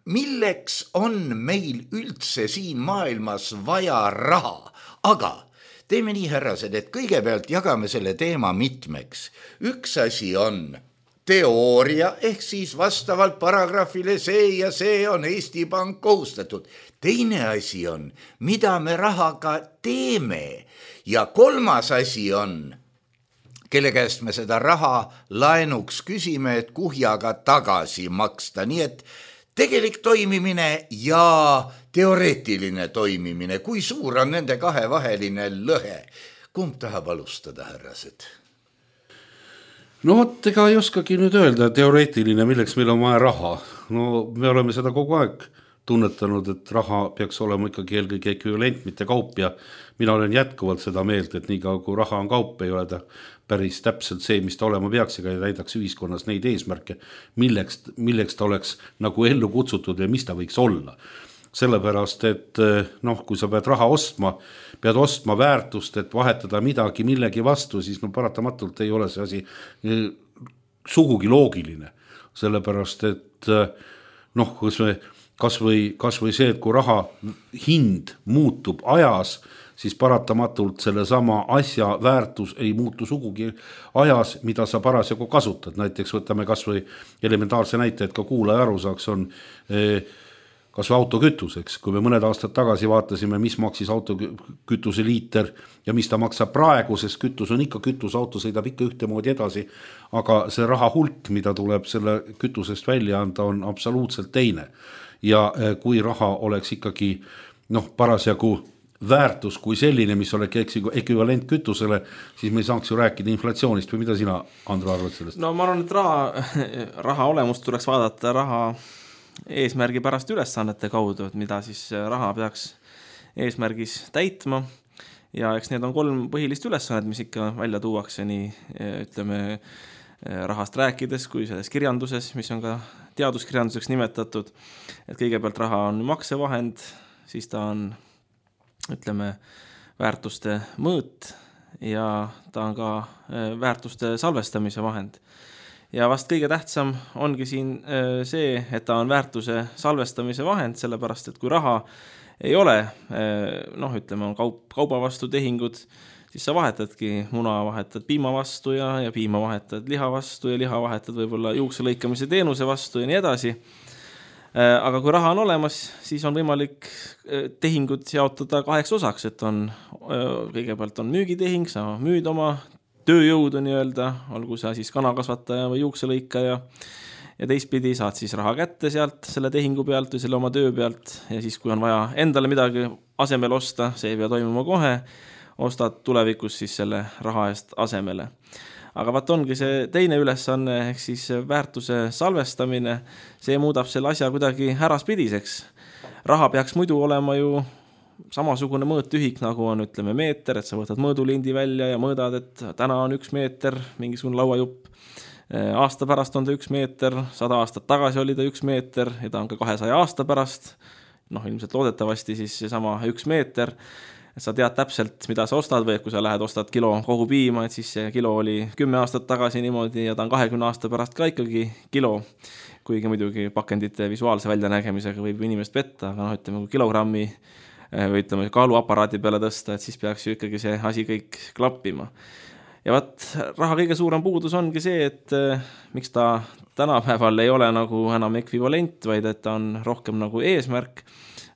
milleks on meil üldse siin maailmas vaja raha. Aga teeme nii, härrased, et kõigepealt jagame selle teema mitmeks. Üks asi on teooria, ehk siis vastavalt paragrahvile see ja see on Eesti Pank kohustatud. Teine asi on, mida me rahaga teeme. Ja kolmas asi on, kelle käest me seda raha laenuks küsime, et kuhjaga tagasi maksta. Nii et tegelik toimimine ja teoreetiline toimimine, kui suur on nende kahe vaheline lõhe. Kumb tahab alustada, härrased? No vot, ega ei oskagi nüüd öelda teoreetiline, milleks meil on vaja raha. No me oleme seda kogu aeg tunnetanud, et raha peaks olema ikkagi eelkõige ekvivalent, mitte kaup ja mina olen jätkuvalt seda meelt, et nii kaua kui raha on kaup, ei ole ta päris täpselt see, mis ta olema peaks ega täidaks ühiskonnas neid eesmärke, milleks ta oleks nagu ellu kutsutud ja mis ta võiks olla. Sellepärast, et kui sa pead raha ostma, pead ostma väärtust, et vahetada midagi millegi vastu, siis paratamatult ei ole see asi sugugi loogiline. Sellepärast, et kas või see, et kui raha hind muutub ajas, siis paratamatult sellesama asja väärtus ei muutu sugugi ajas, mida sa parasjagu kasutad. Näiteks võtame kas või elementaarse näite, et ka kuulaja aru saaks, on kas või autokütuseks, kui me mõned aastad tagasi vaatasime, mis maksis autokütuse liiter ja mis ta maksab praegu, sest kütus on ikka kütus, auto sõidab ikka ühtemoodi edasi, aga see raha hulk, mida tuleb selle kütusest välja anda, on absoluutselt teine. Ja kui raha oleks ikkagi parasjagu väärtus kui selline, mis oleks ekvivalent kütusele, siis me ei saaks ju rääkida inflatsioonist või mida sina, Andro, arvad sellest? No ma arvan, et raha olemust tuleks vaadata raha eesmärgi pärast ülesannete kaudu, et mida siis raha peaks eesmärgis täitma ja eks need on 3 põhilist ülesannet, mis ikka välja tuuakse nii ütleme rahast rääkides kui selles kirjanduses, mis on ka teaduskirjanduseks nimetatud, et kõigepealt raha on maksevahend, siis ta on ütleme väärtuste mõõt ja ta on ka väärtuste salvestamise vahend. Ja vast kõige tähtsam ongi siin see, et ta on väärtuse salvestamise vahend, sellepärast, et kui raha ei ole, ütleme, on kauba vastu tehingud, siis sa vahetadki muna, vahetad piima vastu ja piima vahetad liha vastu ja liha vahetad võib-olla juukse lõikamise teenuse vastu ja nii edasi. Aga kui raha on olemas, siis on võimalik tehingud jaotada 2 osaks, et kõigepealt on müügitehing, sa müüd oma tööjõudu nii-öelda, olgu sa siis kanakasvataja või juukselõikaja ja teistpidi saad siis raha kätte sealt selle tehingu pealt või selle oma töö pealt ja siis kui on vaja endale midagi asemel osta, see ei pea toimuma kohe, ostad tulevikus siis selle raha eest asemele. Aga vaat ongi see teine ülesanne ehk siis väärtuse salvestamine, see muudab selle asja kuidagi äraspidiseks. Raha peaks muidu olema ju samasugune mõõtühik, nagu on ütleme meeter, et sa võtad mõõdulindi välja ja mõõdad, et täna on 1 meeter, mingisugune lauajupp. Aasta pärast on ta 1 meeter, 100 aastat tagasi oli ta 1 meeter ja ta on ka 200 aasta pärast. Ilmselt loodetavasti siis sama 1 meeter. Sa tead täpselt, mida sa ostad või kui sa lähed ostad kilo kogu piima, et siis see kilo oli 10 aastat tagasi niimoodi ja ta on 20 aasta pärast ka ikkagi kilo. Kuigi muidugi pakendite visuaalse väljanägemisega võib inimest petta, aga ütleme, kui kilogrammi või ütleme kaaluaparaadi peale tõsta, et siis peaks ju ikkagi see asi kõik klappima. Ja raha kõige suurem puudus ongi see, et miks ta tänapäeval ei ole nagu enam ekvivalent, vaid et ta on rohkem nagu eesmärk,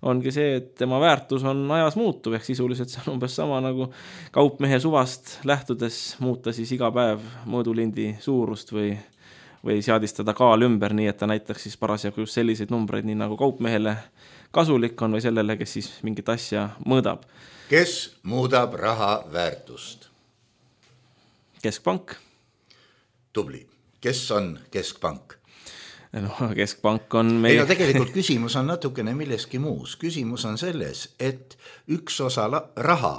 ongi see, et tema väärtus on ajas muutuv, ehk sisuliselt see on umbes sama nagu kaupmehe suvast lähtudes muuta siis iga päev mõõdulindi suurust või seadistada kaal ümber, nii et ta näitaks siis parasjagu just selliseid numbreid, nii nagu kaupmehele kasulik on või sellele, kes siis mingit asja mõõdab. Kes muudab raha väärtust? Keskpank. Tubli. Kes on keskpank? Keskpank on meie... tegelikult küsimus on natukene milleski muus. Küsimus on selles, et üks osa raha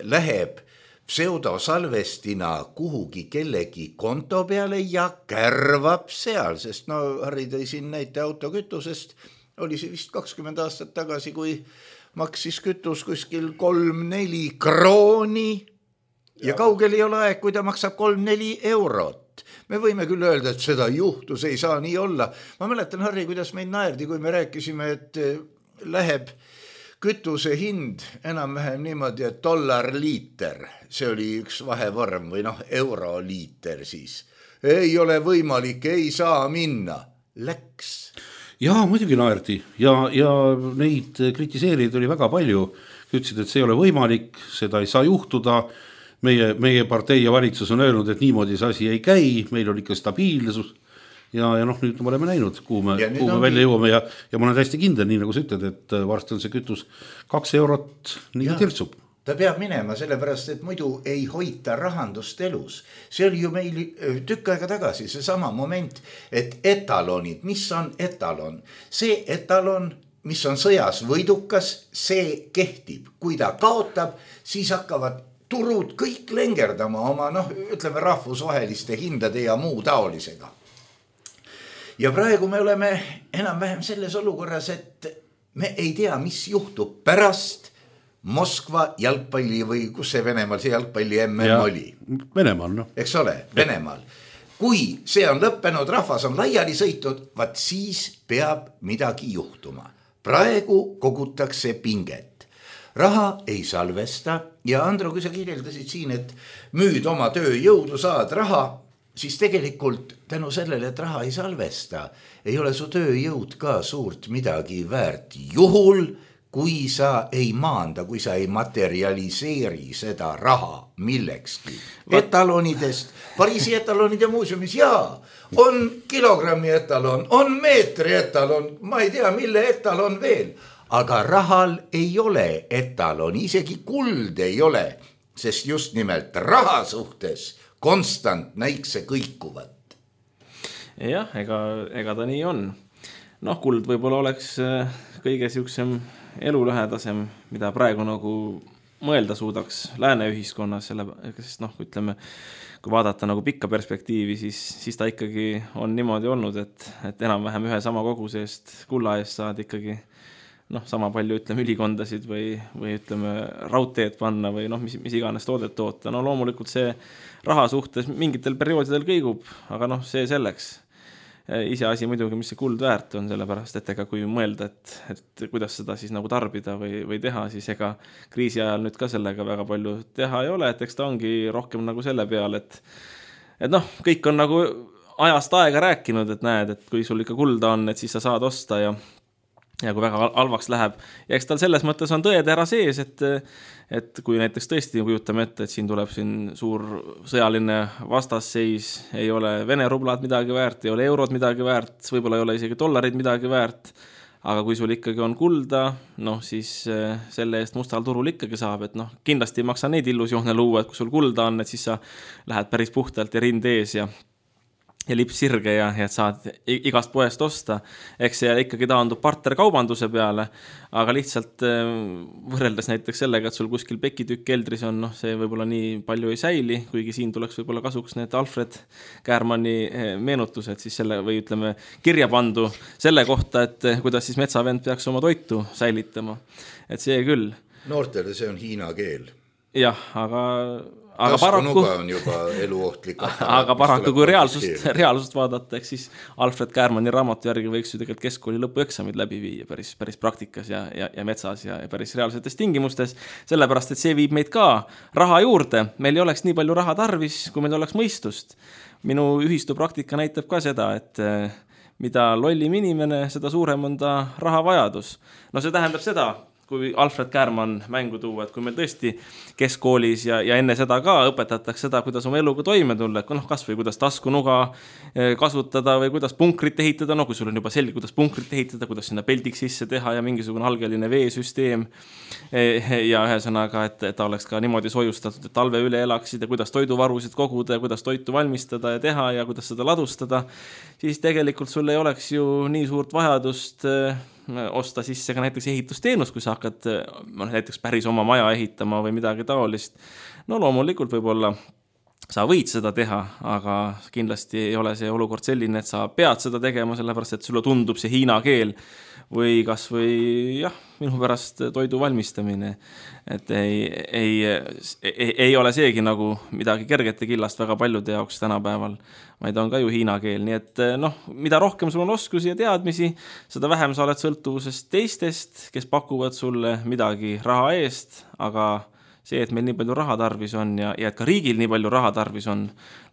läheb pseudosalvestina kuhugi kellegi konto peale ja kärvab seal, sest Harri tõi siin näite autokütusest, oli see vist 20 aastat tagasi, kui maksis kütus kuskil 3-4 krooni ja kaugel ei ole aeg, kui ta maksab 3-4 eurot. Me võime küll öelda, et seda juhtus, ei saa nii olla. Ma mäletan, Harri, kuidas meid naerdi, kui me rääkisime, et läheb kütuse hind enam-vähem niimoodi, et $liiter, see oli üks vahevorm või euroliiter siis. Ei ole võimalik, ei saa minna. Läks. Jaa, muidugi naerdi ja neid kritiseerijaid oli väga palju. Ütlesid, et see ei ole võimalik, seda ei saa juhtuda. Meie partei ja valitsus on öelnud, et niimoodi see asi ei käi, meil on ikka stabiilsus ja nüüd me oleme näinud, kuhu me välja jõuame ja ma olen täiesti kindel, nii nagu sa ütled, et varsti on see kütus 2 eurot, nii tirtsub. Ta peab minema sellepärast, et muidu ei hoita rahandust elus. See oli ju meil tükk aega tagasi see sama moment, et etalonid, mis on etalon? See etalon, mis on sõjas võidukas, see kehtib. Kui ta kaotab, siis hakkavad turud kõik lengerdama oma, ütleme rahvusvaheliste hindade ja muu taolisega. Ja praegu me oleme enam-vähem selles olukorras, et me ei tea, mis juhtub pärast Moskva jalgpalli või kus see Venemaal see jalgpalli MM oli? Venemaal, Eks ole, Venemaal. Kui see on lõppenud, rahvas on laiali sõitud, siis peab midagi juhtuma. Praegu kogutakse pinget. Raha ei salvesta ja Andro, kui sa kirjeldasid siin, et müüd oma tööjõudu, saad raha, siis tegelikult tänu sellele, et raha ei salvesta, ei ole su tööjõud ka suurt midagi väärt. Juhul, kui sa ei maanda, kui sa ei materialiseeri seda raha millekski. Etalonidest, Pariisi etalonide muuseumis, jaa, on kilogrammi etalon, on meetri etalon, ma ei tea, mille etalon veel. Aga rahal ei ole etalon, isegi kuld ei ole, sest just nimelt raha suhtes konstant näikse kõikuvat. Jah, ega ta nii on. Noh, kuld võib-olla oleks kõige siuksem elulähedasem, mida praegu nagu mõelda suudaks lääne ühiskonnas, sest ütleme, kui vaadata nagu pikka perspektiivi, siis ta ikkagi on niimoodi olnud, et enam-vähem ühe sama koguse eest, kulla eest saad ikkagi sama palju ütleme ülikondasid või ütleme raudteed panna või mis iganes toodet toota. No loomulikult see raha suhtes mingitel perioodidel kõigub, aga see selleks. Iseasi muidugi, mis see kuld väärt on, sellepärast, et ega kui mõelda, et kuidas seda siis nagu tarbida või teha, siis ega kriisi ajal nüüd ka sellega väga palju teha ei ole, et eks ta ongi rohkem nagu selle peal, et kõik on nagu ajast aega rääkinud, et näed, et kui sul ikka kulda on, et siis sa saad osta ja kui väga halvaks läheb. Ja eks tal selles mõttes on tõetera sees, et kui näiteks tõesti kujutame ette, et siin tuleb suur sõjaline vastasseis, ei ole Vene rublad midagi väärt, ei ole eurod midagi väärt, võib-olla ei ole isegi dollarid midagi väärt, aga kui sul ikkagi on kulda, siis selle eest mustal turul ikkagi saab, et kindlasti ei maksa neid illusioone luua, et kui sul kulda on, et siis sa lähed päris puhtalt ja rind ees ja lips sirge ja et saad igast poest osta. Eks see ikkagi taandub partnerkaubanduse peale, aga lihtsalt võrreldes näiteks sellega, et sul kuskil pekitükk keldris on, see võib-olla nii palju ei säili, kuigi siin tuleks võib-olla kasuks need Alfred Kärmani meenutused siis selle, või ütleme kirja pandu selle kohta, et kuidas siis metsavend peaks oma toitu säilitama. Et see küll. Noortele see on hiina keel. Jah, aga paraku on juba eluohtlik. Aga paraku kui reaalsust vaadata, eks siis Alfred Kärmani raamatu järgi võiks ju tegelikult keskkooli lõpueksamid läbi viia päris praktikas ja metsas ja päris reaalsetes tingimustes, sellepärast, et see viib meid ka raha juurde. Meil ei oleks nii palju raha tarvis, kui meil oleks mõistust. Minu ühistu praktika näitab ka seda, et mida lollim inimene, seda suurem on ta rahavajadus. See tähendab seda, kui Alfred Kärman mängu tuua, et kui meil tõesti keskkoolis ja enne seda ka õpetatakse seda, kuidas oma eluga toime tulla, et kas või kuidas taskunuga kasutada või kuidas punkrit ehitada, kui sul on juba selge, kuidas punkrit ehitada, kuidas sinna peldiks sisse teha ja mingisugune algeline veesüsteem ja ühesõnaga, et ta oleks ka niimoodi soojustatud, et talve üle elaksid ja kuidas toiduvarusid koguda ja kuidas toitu valmistada ja teha ja kuidas seda ladustada, siis tegelikult sul ei oleks ju nii suurt vajadust osta sisse ka näiteks ehitusteenus, kui sa hakkad näiteks päris oma maja ehitama või midagi taolist. Loomulikult võib-olla sa võid seda teha, aga kindlasti ei ole see olukord selline, et sa pead seda tegema, sellepärast, et sulle tundub see hiina keel või kas või minu pärast toidu valmistamine. Et ei ole seegi nagu midagi kergete killast väga paljude jaoks tänapäeval, vaid on ka ju hiina keel. Nii et mida rohkem sul on oskusi ja teadmisi, seda vähem sa oled sõltuvusest teistest, kes pakuvad sulle midagi raha eest, aga see, et meil nii palju raha tarvis on ja et ka riigil nii palju raha tarvis on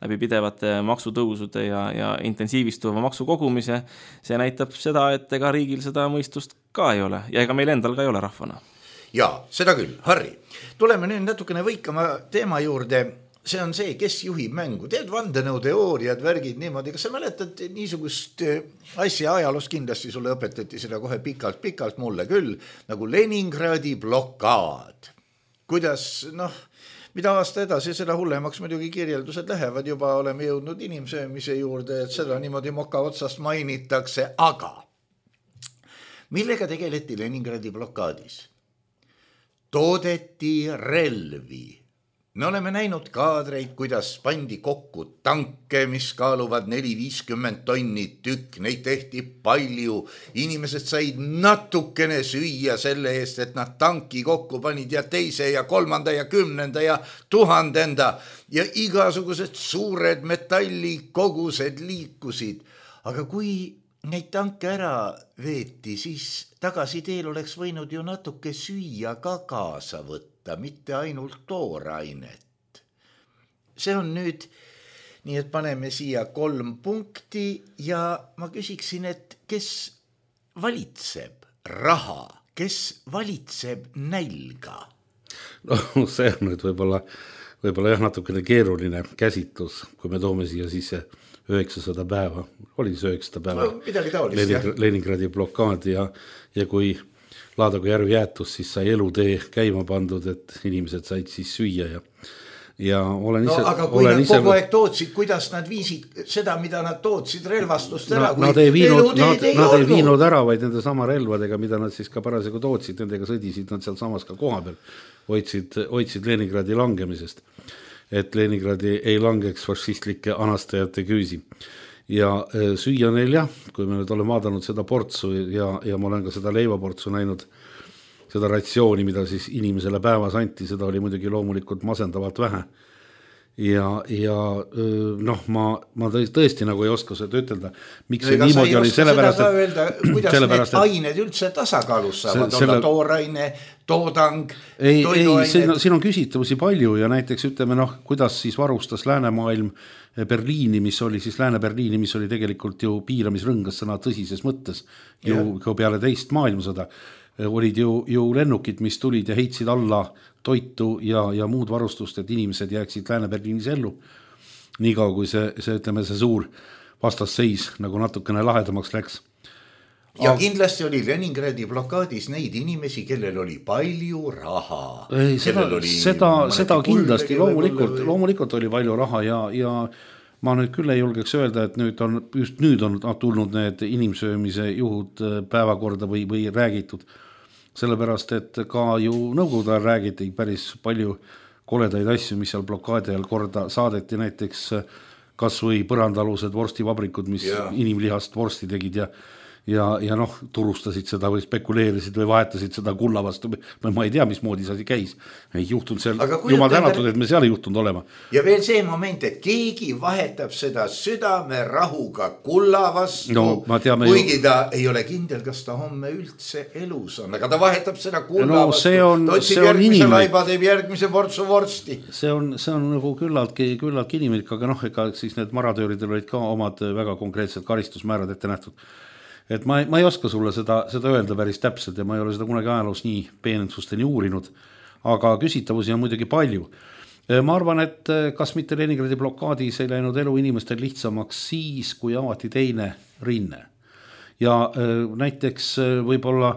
läbi pidevate maksutõusude ja intensiivistuva maksukogumise, see näitab seda, et ega riigil seda mõistust ka ei ole ja ega meil endal ka ei ole rahvana. Jaa, seda küll. Harri, tuleme nüüd natukene võikama teema juurde. See on see, kes juhib mängu. Teed vandenõuteooriad, värgid niimoodi. Kas sa mäletad niisugust asja ajaloos, kindlasti sulle õpetati seda kohe pikalt mulle küll, nagu Leningradi blokaad. Kuidas, mida aasta edasi, seda hullemaks muidugi kirjeldused lähevad, juba oleme jõudnud inimsöömise juurde, et seda niimoodi moka otsast mainitakse, aga millega tegeleti Leningradi blokaadis? Toodeti relvi. Me oleme näinud kaadreid, kuidas pandi kokku tanke, mis kaaluvad 4-50 tonni tükk, neid tehti palju, inimesed said natukene süüa selle eest, et nad tanki kokku panid ja teise ja 3. ja 10. ja 1000. ja igasugused suured metallikogused liikusid, aga kui neid tanke ära veeti, siis tagasi teel oleks võinud ju natuke süüa ka kaasa võtta, mitte ainult toorainet. See on nüüd nii et paneme siia 3 punkti ja ma küsiksin, et kes valitseb raha, kes valitseb nälga? No see on nüüd võib-olla jah natukene keeruline käsitlus, kui me toome siia sisse 900 päeva, oli see 900 päeva no, Leningradi blokaad ja kui Laadagu järv jäätus, siis sai elutee käima pandud, et inimesed said siis süüa ja olen ise... No aga kui nad kogu aeg tootsid, kuidas nad viisid seda, mida nad tootsid relvastust ära? Nad ei viinud ära, vaid nende sama relvadega, mida nad siis ka parasjagu tootsid, nendega sõdisid nad seal samas ka koha peal, hoidsid Leningradi langemisest, et Leningradi ei langeks fašistlike anastajate küüsi. Ja süüa neil jah, kui me nüüd oleme vaadanud seda portsu ja ma olen ka seda leivaportsu näinud, seda ratsiooni, mida siis inimesele päevas anti, seda oli muidugi loomulikult masendavalt vähe. Ja noh, ma tõesti nagu ei oska seda ütelda, miks see niimoodi oli, kuidas need ained üldse tasakaalus saavad olla, tooraine, toodang, toiduained. Siin on küsitavusi palju ja näiteks ütleme, kuidas siis varustas läänemaailm Berliini, mis oli siis Lääne-Berliini, mis oli tegelikult ju piiramisrõngas sõna tõsises mõttes ju peale teist maailmasõda. Olid ju lennukid, mis tulid ja heitsid alla toitu ja muud varustust, et inimesed jääksid Lääne-Berliinis ellu. Niikaua kui see suur vastasseis nagu natukene lahedamaks läks. Ja kindlasti oli Leningradi blokaadis neid inimesi, kellel oli palju raha. Seda kindlasti, loomulikult oli palju raha ja ma nüüd küll ei julgeks öelda, et nüüd on tulnud need inimsöömise juhud päevakorda või räägitud. Sellepärast, et ka ju nõukogude ajal räägiti päris palju koledaid asju, mis seal blokaadi ajal korda saadeti, näiteks kas või põrandalused vorstivabrikud, mis inimlihast vorsti tegid ja turustasid seda või spekuleerisid või vahetasid seda kulla vastu. Ma ei tea, mismoodi see käis. Ei juhtunud seal, jumal tänatud, et me seal ei juhtunud olema. Ja veel see moment, et keegi vahetab seda südame rahuga kulla vastu, kuigi ta ei ole kindel, kas ta homme üldse elus on, aga ta vahetab seda kulla vastu. Ta otsib järgmise laiba, teeb järgmise portsu vorsti. See on nagu küllaltki inimlik, aga ega siis need maratööridel olid ka omad väga konkreetsed karistusmäärad ette nähtud. Et ma ei oska sulle seda öelda päris täpselt ja ma ei ole seda kunagi ajaloos nii peenensusteni uurinud, aga küsitavusi on muidugi palju. Ma arvan, et kas mitte Leningradi blokaadis ei läinud elu inimestel lihtsamaks siis, kui avati teine rinne. Ja näiteks võib-olla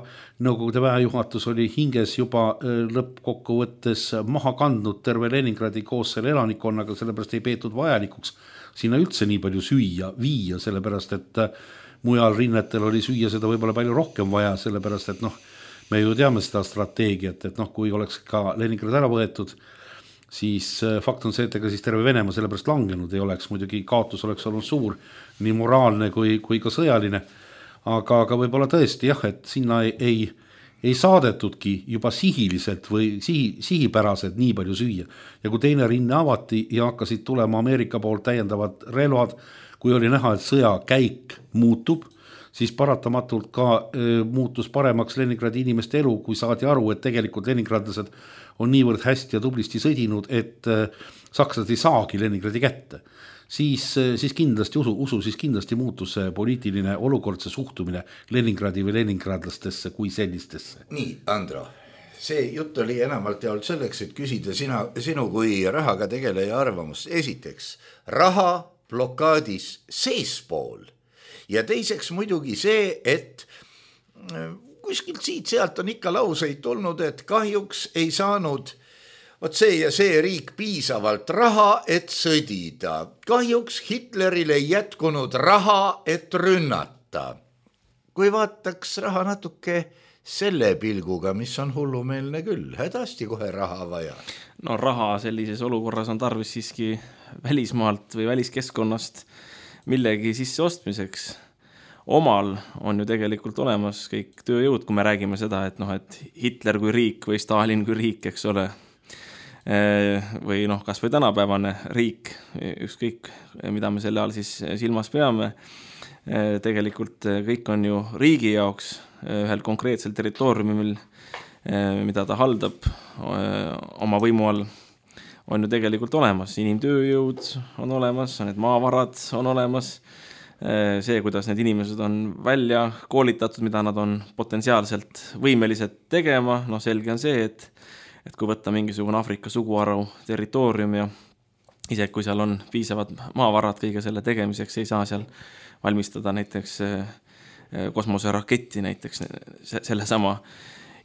Nõukogude väejuhatus oli hinges juba lõppkokkuvõttes maha kandnud terve Leningradi koos selle elanikkonnaga, sellepärast ei peetud vajalikuks sinna üldse nii palju süüa viia, sellepärast et mujal rinnetel oli süüa seda võib-olla palju rohkem vaja, sellepärast et me ju teame seda strateegiat, et kui oleks ka Leningrad ära võetud, siis fakt on see, et ega siis terve Venemaa sellepärast langenud ei oleks, muidugi kaotus oleks olnud suur, nii moraalne kui ka sõjaline, aga võib-olla tõesti jah, et sinna ei saadetudki juba sihiliselt või sihipäraselt nii palju süüa. Ja kui teine rinne avati ja hakkasid tulema Ameerika poolt täiendavad relvad, kui oli näha, et sõja käik muutub, siis paratamatult ka muutus paremaks Leningradi inimeste elu, kui saadi aru, et tegelikult leningradlased on niivõrd hästi ja tublisti sõdinud, et sakslased ei saagi Leningradi kätte. Siis kindlasti siis kindlasti muutus see poliitiline olukord, see suhtumine Leningradi või leningradlastesse kui sellistesse. Nii, Andro, see jutt oli enamalt jaolt selleks, et küsida sinu kui rahaga tegeleja arvamust. Esiteks, raha blokaadis seespool ja teiseks muidugi see, et kuskilt sealt on ikka lauseid tulnud, et kahjuks ei saanud see ja see riik piisavalt raha, et sõdida. Kahjuks Hitleril ei jätkunud raha, et rünnata. Kui vaataks raha natuke selle pilguga, mis on hullumeelne küll, hädasti kohe raha vaja. No raha sellises olukorras on tarvis siiski välismaalt või väliskeskkonnast millegi sisse ostmiseks. Omal on ju tegelikult olemas kõik tööjõud, kui me räägime seda, et Hitler kui riik või Stalin kui riik, eks ole, või kas või tänapäevane riik, ükskõik mida me selle all siis silmas peame, tegelikult kõik on ju riigi jaoks ühel konkreetsel territooriumil, mida ta haldab oma võimu all, on ju tegelikult olemas, inimtööjõud on olemas, need maavarad on olemas, see, kuidas need inimesed on välja koolitatud, mida nad on potentsiaalselt võimelised tegema, selge on see, et kui võtta mingisugune Aafrika suguharu territoorium ja isegi kui seal on piisavad maavarad kõige selle tegemiseks, ei saa seal valmistada näiteks kosmoseraketti näiteks selle sama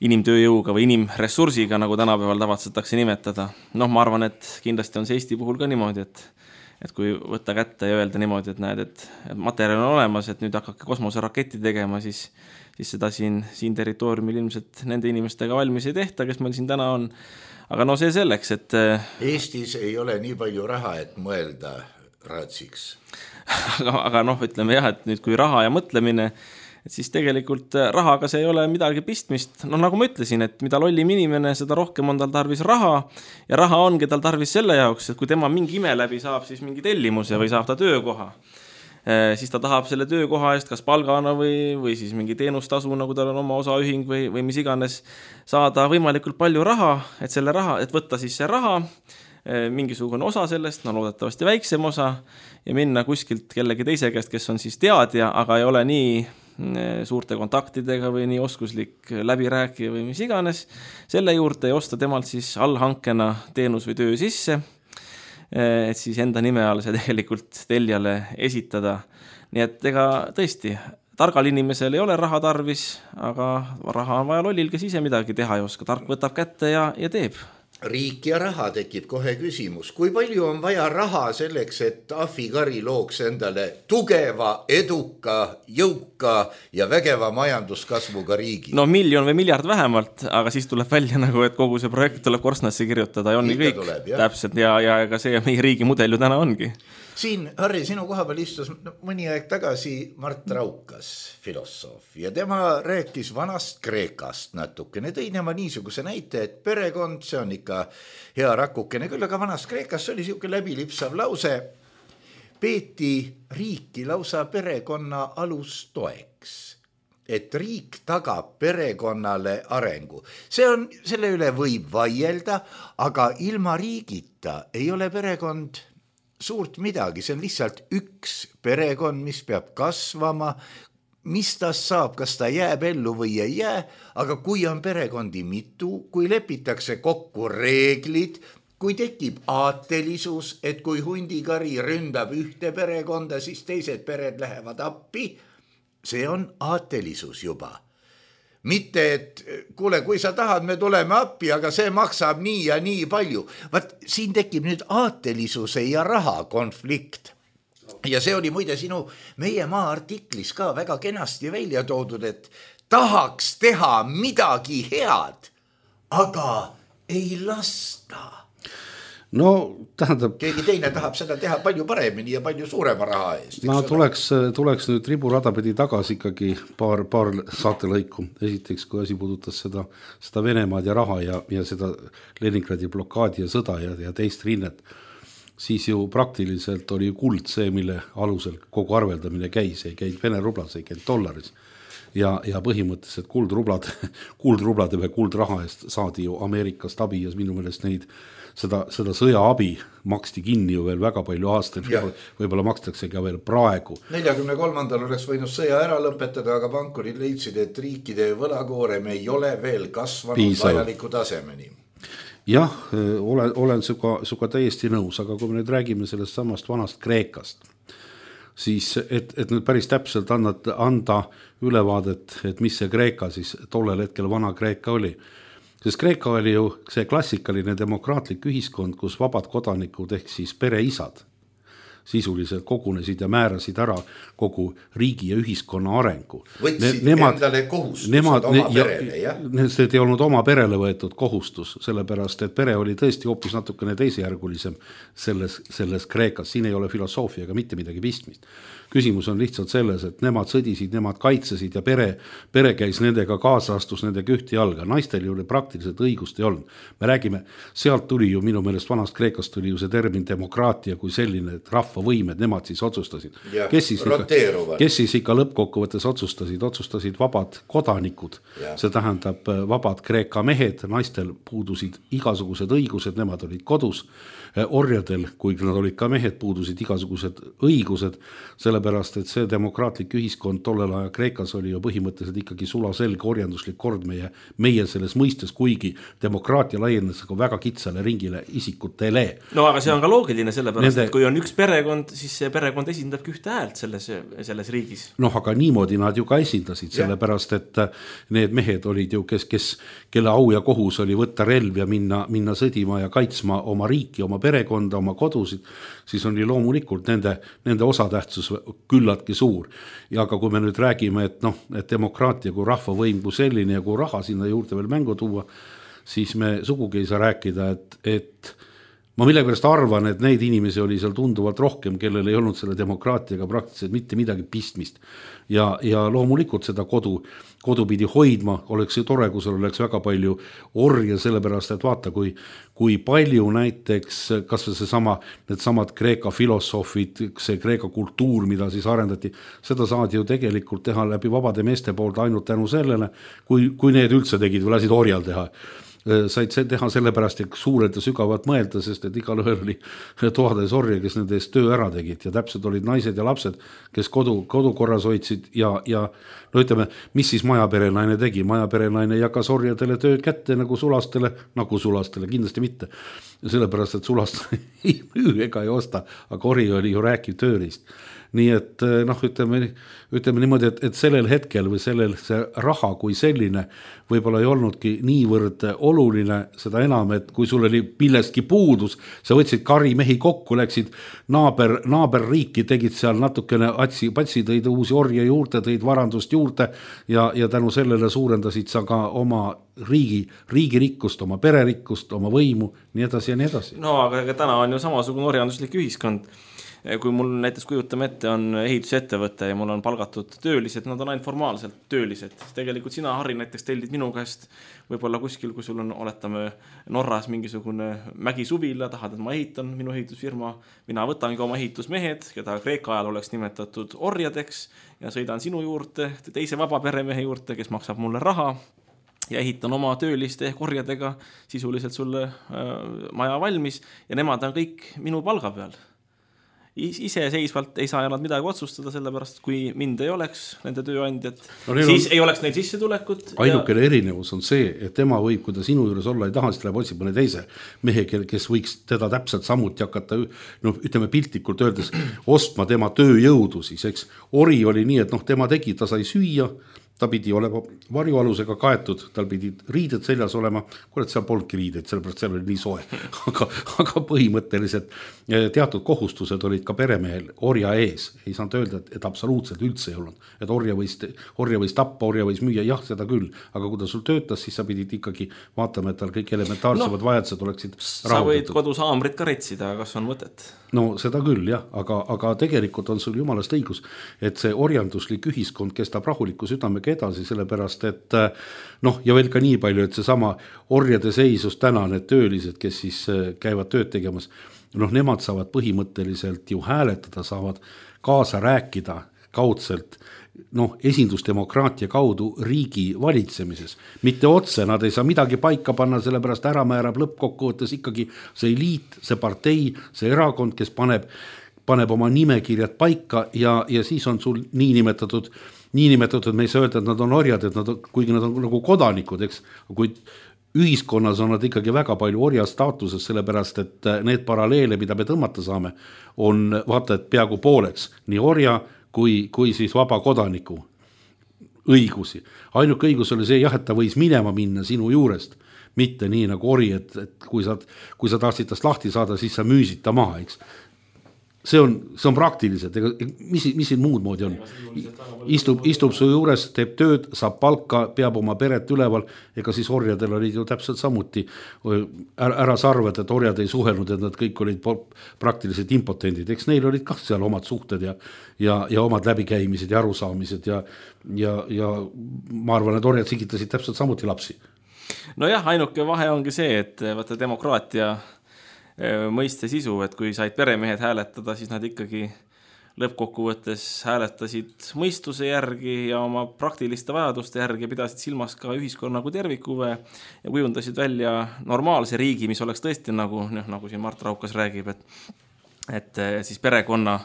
inimtööjõuga või inimressursiga, nagu tänapäeval tavatsetakse nimetada. Ma arvan, et kindlasti on see Eesti puhul ka niimoodi, et kui võtta kätte ja öelda niimoodi, et näed, et materjal on olemas, et nüüd hakake kosmoseraketti tegema, siis seda siin territooriumil ilmselt nende inimestega valmis ei tehta, kes meil siin täna on. Aga see selleks, et Eestis ei ole nii palju raha, et mõelda raatsiks. aga ütleme jah, et nüüd kui raha ja mõtlemine, et siis tegelikult rahaga see ei ole midagi pistmist. Nagu ma ütlesin, et mida lollim inimene, seda rohkem on tal tarvis raha ja raha ongi tal tarvis selle jaoks, et kui tema mingi ime läbi saab siis mingi tellimuse või saab ta töökoha, siis ta tahab selle töökoha eest kas palgana või siis mingi teenustasu, nagu tal on oma osaühing või mis iganes, saada võimalikult palju raha, et võtta siis see raha, mingisugune osa sellest, loodetavasti väiksem osa ja minna kuskilt kellegi teise käest, kes on siis teadja, aga ei ole nii suurte kontaktidega või nii oskuslik läbirääkija või mis iganes, selle juurde ja osta temalt siis allhankena teenus või töö sisse, et siis enda nime all see tegelikult tellijale esitada. Nii et ega tõesti, targal inimesel ei ole raha tarvis, aga raha on vaja lollil, kes ise midagi teha ei oska. Tark võtab kätte ja teeb. Riik ja raha tekib kohe küsimus. Kui palju on vaja raha selleks, et Ahvikari looks endale tugeva, eduka, jõuka ja vägeva majanduskasvuga riigi? 1 miljon või miljard vähemalt, aga siis tuleb välja et kogu see projekt tuleb korstnasse kirjutada ja on kõik tuleb, täpselt ja ega see meie riigi mudel ju täna ongi. Siin, Harri, sinu koha peal istus mõni aeg tagasi Mart Raukas, filosoof, ja tema rääkis vanast Kreekast natukene. Tõi nema niisuguse näite, et perekond, see on ikka hea rakukene, küll aga vanast Kreekast oli siuke läbilipsav lause, peeti riiki lausa perekonna alustoeks, et riik tagab perekonnale arengu. Selle üle võib vaielda, aga ilma riigita ei ole perekond suurt midagi, see on lihtsalt üks perekond, mis peab kasvama, mis tast saab, kas ta jääb ellu või ei jää, aga kui on perekondi mitu, kui lepitakse kokku reeglid, kui tekib aatelisus, et kui hundikari ründab ühte perekonda, siis teised pered lähevad appi, see on aatelisus juba. Mitte, et kuule, kui sa tahad, me tuleme appi, aga see maksab nii ja nii palju. Vaat siin tekib nüüd aatelisuse ja raha konflikt. Ja see oli muide meie maa artiklis ka väga kenasti välja toodud, et tahaks teha midagi head, aga ei lasta. Tähendab, keegi teine tahab seda teha palju paremini ja palju suurema raha eest. Tuleks nüüd riburadapädi tagasi ikkagi paar saatelõiku. Esiteks, kui asi puudutas seda Venemaad ja raha ja seda Leningradi blokaadi ja sõda ja teist rinnet, siis ju praktiliselt oli kuld see, mille alusel kogu arveldamine käis, ei käinud Vene rublas, ei käinud dollaris. Ja põhimõtteliselt kuldrublade või kuldraha eest saadi ju Ameerikast abi ja minu meelest seda sõjaabi maksti kinni ju veel väga palju aastaid, võib-olla makstakse ka veel praegu. 43. oleks võinud sõja ära lõpetada, aga pankurid leidsid, et riikide võlakoorem ei ole veel kasvanud vajaliku tasemeni. Jah, olen suga täiesti nõus, aga kui me nüüd räägime sellest samast vanast Kreekast, siis et nüüd päris täpselt anda ülevaadet, et mis see Kreeka siis tollel hetkel vana Kreeka oli. Sest Kreeka oli ju see klassikaline demokraatlik ühiskond, kus vabad kodanikud ehk siis pereisad sisuliselt kogunesid ja määrasid ära kogu riigi ja ühiskonna arengu. Võtsid endale kohustused oma perele, jah? See ei olnud oma perele võetud kohustus, sellepärast, et pere oli tõesti hoopis natukene teisejärgulisem selles Kreekas. Siin ei ole filosoofiaga mitte midagi pistmist. Küsimus on lihtsalt selles, et nemad sõdisid, nemad kaitsesid ja pere käis nendega kaasa, astus nendega ühte jalga. Naistel ju praktiliselt õigust ei olnud. Me räägime, sealt tuli ju minu meelest vanast Kreekast tuli ju see termin demokraatia kui selline, et rahva rahvavõimed, nemad siis otsustasid. Kes siis ikka lõppkokkuvõttes otsustasid vabad kodanikud, see tähendab vabad Kreeka mehed, naistel puudusid igasugused õigused, nemad olid kodus, orjadel, kuigi nad olid ka mehed, puudusid igasugused õigused, sellepärast, et see demokraatlik ühiskond tollel aja Kreekas oli ju põhimõtteliselt ikkagi sulaselge orjanduslik kord meie selles mõistes, kuigi demokraatia laienes väga kitsale ringile isikutele. No aga see on ka loogiline, sellepärast, et kui on üks perekond, siis see perekond esindabki ühte häält selles riigis. Noh, aga niimoodi nad ju ka esindasid, sellepärast, et need mehed olid ju, kelle au ja kohus oli võtta relv ja minna sõdima ja kaitsma oma riiki, oma perekonda, oma kodusid, siis on loomulikult nende osatähtsus küllaltki suur. Ja aga kui me nüüd räägime, et demokraatia kui rahvavõim kui selline ja kui raha sinna juurde veel mängu tuua, siis me sugugi ei saa rääkida, et ma millegipärast arvan, et neid inimesi oli seal tunduvalt rohkem, kellel ei olnud selle demokraatiaga praktiliselt mitte midagi pistmist. Ja loomulikult seda kodu pidi hoidma, oleks ju tore, kui seal oleks väga palju orje, sellepärast, et vaata, kui palju näiteks, kas või needsamad Kreeka filosoofid, see Kreeka kultuur, mida siis arendati, seda saadi ju tegelikult teha läbi vabade meeste poolt ainult tänu sellele, kui need üldse tegid või lasid orjal teha. Said teha sellepärast, et suurelt ja sügavalt mõelda, sest et igal ühel oli toades orje, kes nende eest töö ära tegid ja täpselt olid naised ja lapsed, kes kodukorras hoidsid ja no ütleme, mis siis majaperenaine tegi? Majaperenaine jagas orjadele tööd kätte nagu sulastele, kindlasti mitte. Sellepärast, et sulastele ei müü ega ei osta, aga ori oli ju rääkiv tööriist. Nii et ütleme niimoodi, et sellel hetkel või see raha kui selline võib-olla ei olnudki niivõrd oluline, seda enam, et kui sul oli millestki puudus, sa võtsid karimehi kokku, läksid naaberriiki, tegid seal natukene patsi, tõid uusi orje juurde, tõid varandust juurde ja tänu sellele suurendasid sa ka oma riigi rikkust, oma pererikkust, oma võimu, nii edasi ja nii edasi. No aga täna on ju samasugune orjanduslik ühiskond. Kui mul näiteks kujutame ette on ehitusettevõte ja mul on palgatud töölised, nad on ainult formaalselt töölised. Tegelikult sina, Harri, näiteks tellid minu käest võib-olla kuskil, kui sul on, oletame, Norras mingisugune mägisuvila, tahad, et ma ehitan minu ehitusfirma, mina võtangi oma ehitusmehed, keda Kreeka ajal oleks nimetatud orjadeks ja sõidan sinu juurde, teise vaba peremehe juurde, kes maksab mulle raha ja ehitan oma tööliste orjadega sisuliselt sulle maja valmis ja nemad on kõik minu palga peal. Iseseisvalt ei saa nad midagi otsustada, sellepärast kui mind ei oleks nende tööandjad, siis ei oleks neil sissetulekut. Ainukene erinevus on see, et tema võib, kui ta sinu juures olla ei taha, siis läheb otsib mõne teise mehe, kes võiks teda täpselt samuti hakata, ütleme piltlikult öeldes, ostma tema tööjõudu siis, eks. Ori oli nii, et tema tegi, ta sai süüa, ta pidi olema varjualusega kaetud, tal pidi riided seljas olema, kuule, seal polnudki riided, sellepärast seal oli nii soe. Aga põhimõtteliselt teatud kohustused olid ka peremehel orja ees. Ei saanud öelda, et absoluutselt üldse ei olnud. Et orja võis tappa, orja võis müüa, jah, seda küll. Aga kui ta sul töötas, siis sa pidid ikkagi vaatama, et tal kõik elementaarsemad vajadused oleksid rahuldatud. Sa võid kodus haamrit ka retsida, kas on mõtet? No seda küll, jah, aga tegelikult on sul jumalast õigus, et see orjanduslik ühiskond kestab rahuliku südamega edasi, sellepärast, et ja veel ka nii palju, et see sama orjade seisus täna need töölised, kes siis käivad tööd tegemas, nemad saavad põhimõtteliselt ju hääletada, saavad kaasa rääkida kaudselt esindusdemokraatia kaudu riigi valitsemises. Mitte otse, nad ei saa midagi paika panna, sellepärast ära määrab lõppkokkuvõttes ikkagi see eliit, see partei, see erakond, kes paneb oma nimekirjad paika ja siis on sul niinimetatud, me ei saa öelda, et nad on orjad, kuigi nad on nagu kodanikud, eks, kuid ühiskonnas on nad ikkagi väga palju orja staatuses, sellepärast, et need paralleele, mida me tõmmata saame, on vaata, et peaaegu pooleks, nii orja kui siis vaba kodaniku õigusi. Ainuke õigus oli see, et ta võis minema minna sinu juurest, mitte nii nagu ori, et kui sa tahtsid tast lahti saada, siis sa müüsid ta maha, eks. See on praktiliselt, mis siin muud moodi on? Istub su juures, teeb tööd, saab palka, peab oma peret üleval, ega siis orjadel olid ju täpselt samuti. Ära sarved, et orjad ei suhelnud, et nad kõik olid praktiliselt impotendid. Eks neil olid ka seal omad suhted ja omad läbikäimised ja arusaamised ja ma arvan, et orjad sigitasid täpselt samuti lapsi. No jah, ainuke vahe ongi see, et vaata demokraatia mõiste sisu, et kui said peremehed hääletada, siis nad ikkagi lõppkokkuvõttes hääletasid mõistuse järgi ja oma praktiliste vajaduste järgi pidasid silmas ka ühiskonna kui tervikuve ja kujundasid välja normaalse riigi, mis oleks tõesti nagu siin Mart Raukas räägib, et siis perekonna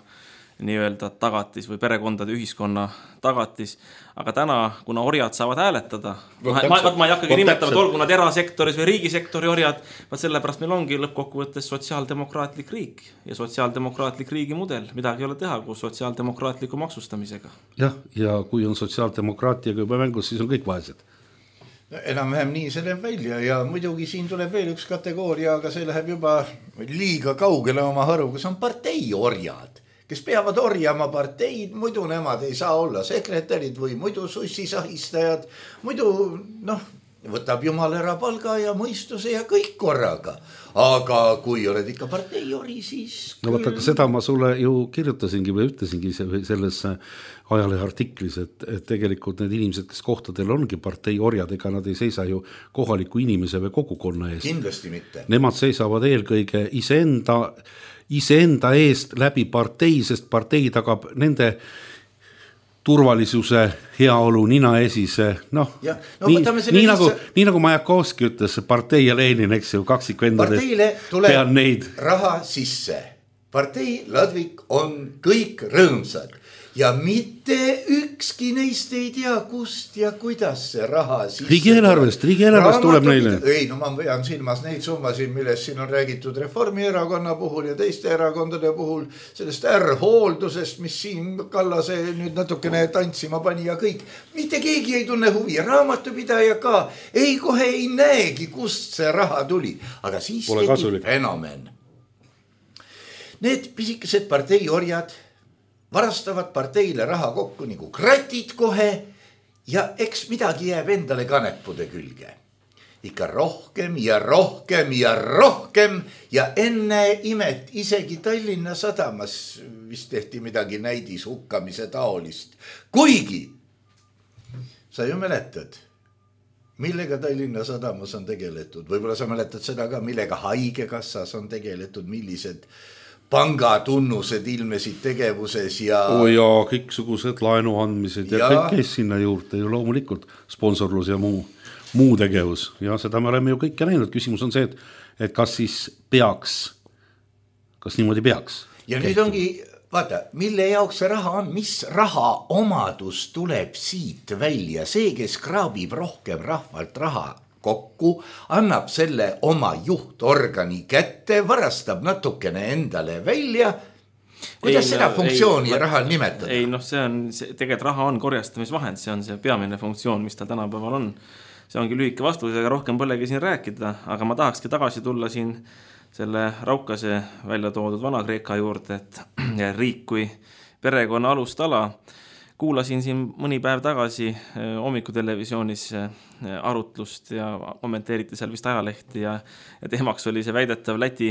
nii-öelda tagatis või perekondade ühiskonna tagatis, aga täna, kuna orjad saavad hääletada, ma ei hakkagi nimetama, et olgu nad erasektoris või riigisektori orjad, vaat sellepärast meil ongi lõppkokkuvõttes sotsiaaldemokraatlik riik ja sotsiaaldemokraatlik riigi mudel, midagi ei ole teha koos sotsiaaldemokraatliku maksustamisega. Jah, ja kui on sotsiaaldemokraatiaga juba mängus, siis on kõik vaesed. Enam-vähem nii see läheb välja ja muidugi siin tuleb veel üks kategooria, aga see läheb juba liiga kaugele oma haruga, see on parteiorjad, kes peavad orjama parteid, muidu nemad ei saa olla sekretärid või muidu sussisahistajad, muidu võtab jumal ära palga ja mõistuse ja kõik korraga. Aga kui oled ikka parteiori, siis... No võtta, seda ma sulle ju kirjutasingi või ütlesingi selles ajalehe artiklis, et tegelikult need inimesed, kes kohtadel ongi parteiorjad, ega nad ei seisa ju kohaliku inimese või kogukonna eest. Kindlasti mitte. Nemad seisavad eelkõige iseenda eest läbi partei, sest partei tagab nende turvalisuse, heaolu, ninaesise, nii nagu Majakovski ütles, partei ja Lenin, eks ju, kaksikvendades. Parteile tuleb raha sisse. Partei ladvik on kõik rõõmsad ja mitte ükski neist ei tea, kust ja kuidas see raha sisse. Riigieelarvest tuleb neile. Ei, ma pean silmas neid summasid, millest siin on räägitud Reformierakonna puhul ja teiste erakondade puhul, sellest hooldusest, mis siin Kallase nüüd natukene tantsima pani ja kõik. Mitte keegi ei tunne huvi, raamatupidaja ka ei kohe ei näegi, kust see raha tuli. Aga siis tekib fenomen. Need pisikesed parteiorjad varastavad parteile raha kokku nagu kratid kohe ja eks midagi jääb endale kanepude külge. Ikka rohkem ja rohkem ja rohkem ja enne imet isegi Tallinna Sadamas vist tehti midagi näidis hukkamise taolist. Kuigi sa ju mäletad, millega Tallinna Sadamas on tegeletud. Võib-olla sa mäletad seda ka, millega Haigekassas on tegeletud, millised pangatunnused ilmesid tegevuses ja... ja kõiksugused laenu andmised ja kõik käis sinna juurde ju loomulikult sponsorlus ja muu tegevus. Ja seda me oleme ju kõike näinud. Küsimus on see, et kas siis peaks, kas niimoodi peaks? Ja nüüd ongi, vaata, mille jaoks see raha on, mis raha omadus tuleb siit välja. See, kes kraabib rohkem rahvalt raha kokku, annab selle oma juhtorgani kätte, varastab natukene endale välja. Kuidas seda funktsiooni ja rahal nimetada? Ei, tegelikult raha on korjastamisvahend, see on see peamine funktsioon, mis ta tänapäeval on. See ongi lühike vastus, ega rohkem polegi siin rääkida, aga ma tahakski tagasi tulla siin selle Raukase välja toodud Vana-Kreeka juurde, et riik kui perekonna alustala. Kuulasin siin mõni päev tagasi hommikutelevisioonis arutlust ja kommenteeriti seal vist ajalehti ja teemaks oli see väidetav Läti,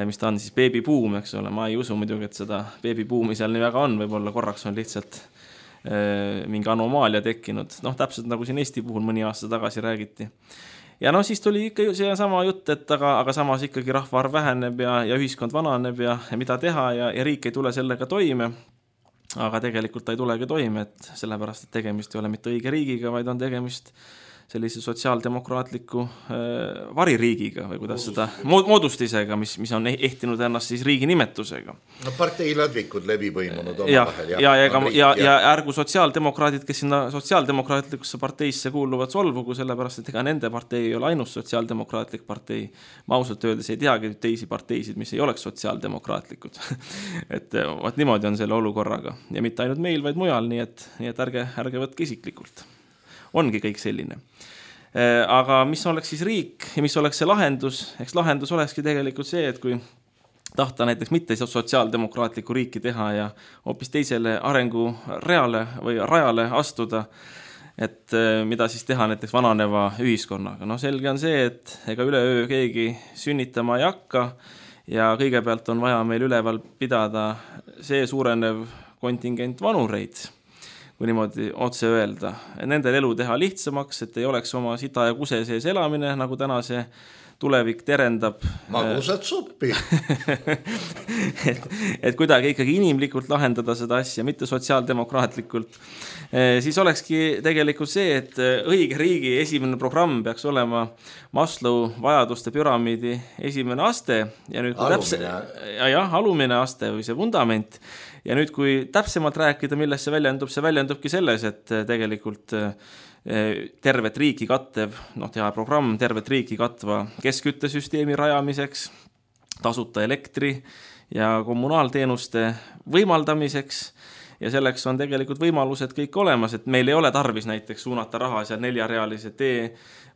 mis ta on siis beebibuum, eks ole. Ma ei usu muidugi, et seda beebibuumi seal nii väga on, võib-olla korraks on lihtsalt mingi anomaalia tekkinud. Täpselt nagu siin Eesti puhul mõni aasta tagasi räägiti. Ja siis tuli ikka see sama jutt, et aga samas ikkagi rahvaarv väheneb ja ühiskond vananeb ja mida teha ja riik ei tule sellega toime. Aga tegelikult ta ei tulegi toime, et sellepärast, et tegemist ei ole mitte õige riigiga, vaid on tegemist sellise sotsiaaldemokraatliku variriigiga või kuidas seda moodustisega, mis on ehtinud ennast siis riigi nimetusega. Parteiladvikud läbi põimunud oma vahel. Ja ärgu sotsiaaldemokraadid, kes sinna sotsiaaldemokraatlikusse parteisse kuuluvad solvugu, sellepärast, et ega nende partei ei ole ainus sotsiaaldemokraatlik partei. Ma ausalt öeldes ei teagi teisi parteisid, mis ei oleks sotsiaaldemokraatlikud. Et niimoodi on selle olukorraga. Ja mitte ainult meil, vaid mujal, nii et ärge võtke isiklikult. Ongi kõik selline. Aga mis oleks siis riik ja mis oleks see lahendus? Eks lahendus olekski tegelikult see, et kui tahta näiteks mitte sotsiaaldemokraatlikku riiki teha ja hoopis teisele arengu rajale astuda, et mida siis teha näiteks vananeva ühiskonnaga. Selge on see, et ega üleöö keegi sünnitama ei hakka ja kõigepealt on vaja meil üleval pidada see suurenev kontingent vanureid, kui niimoodi otse öelda. Nendel elu teha lihtsamaks, et ei oleks oma sita ja kuse sees elamine, nagu täna see tulevik terendab. Magusat suppi. et kuidagi ikkagi inimlikult lahendada seda asja, mitte sotsiaaldemokraatlikult. Siis olekski tegelikult see, et õige riigi esimene programm peaks olema Maslow vajaduste püramiidi esimene aste ja nüüd alumine aste või see vundament. Ja nüüd, kui täpsemalt rääkida, milles see väljendubki selles, et tegelikult tervet riiki kattev, teha programm tervet riiki katva keskküttesüsteemi rajamiseks, tasuta elektri ja kommunaalteenuste võimaldamiseks ja selleks on tegelikult võimalused kõik olemas, et meil ei ole tarvis näiteks suunata raha seal 4-realise tee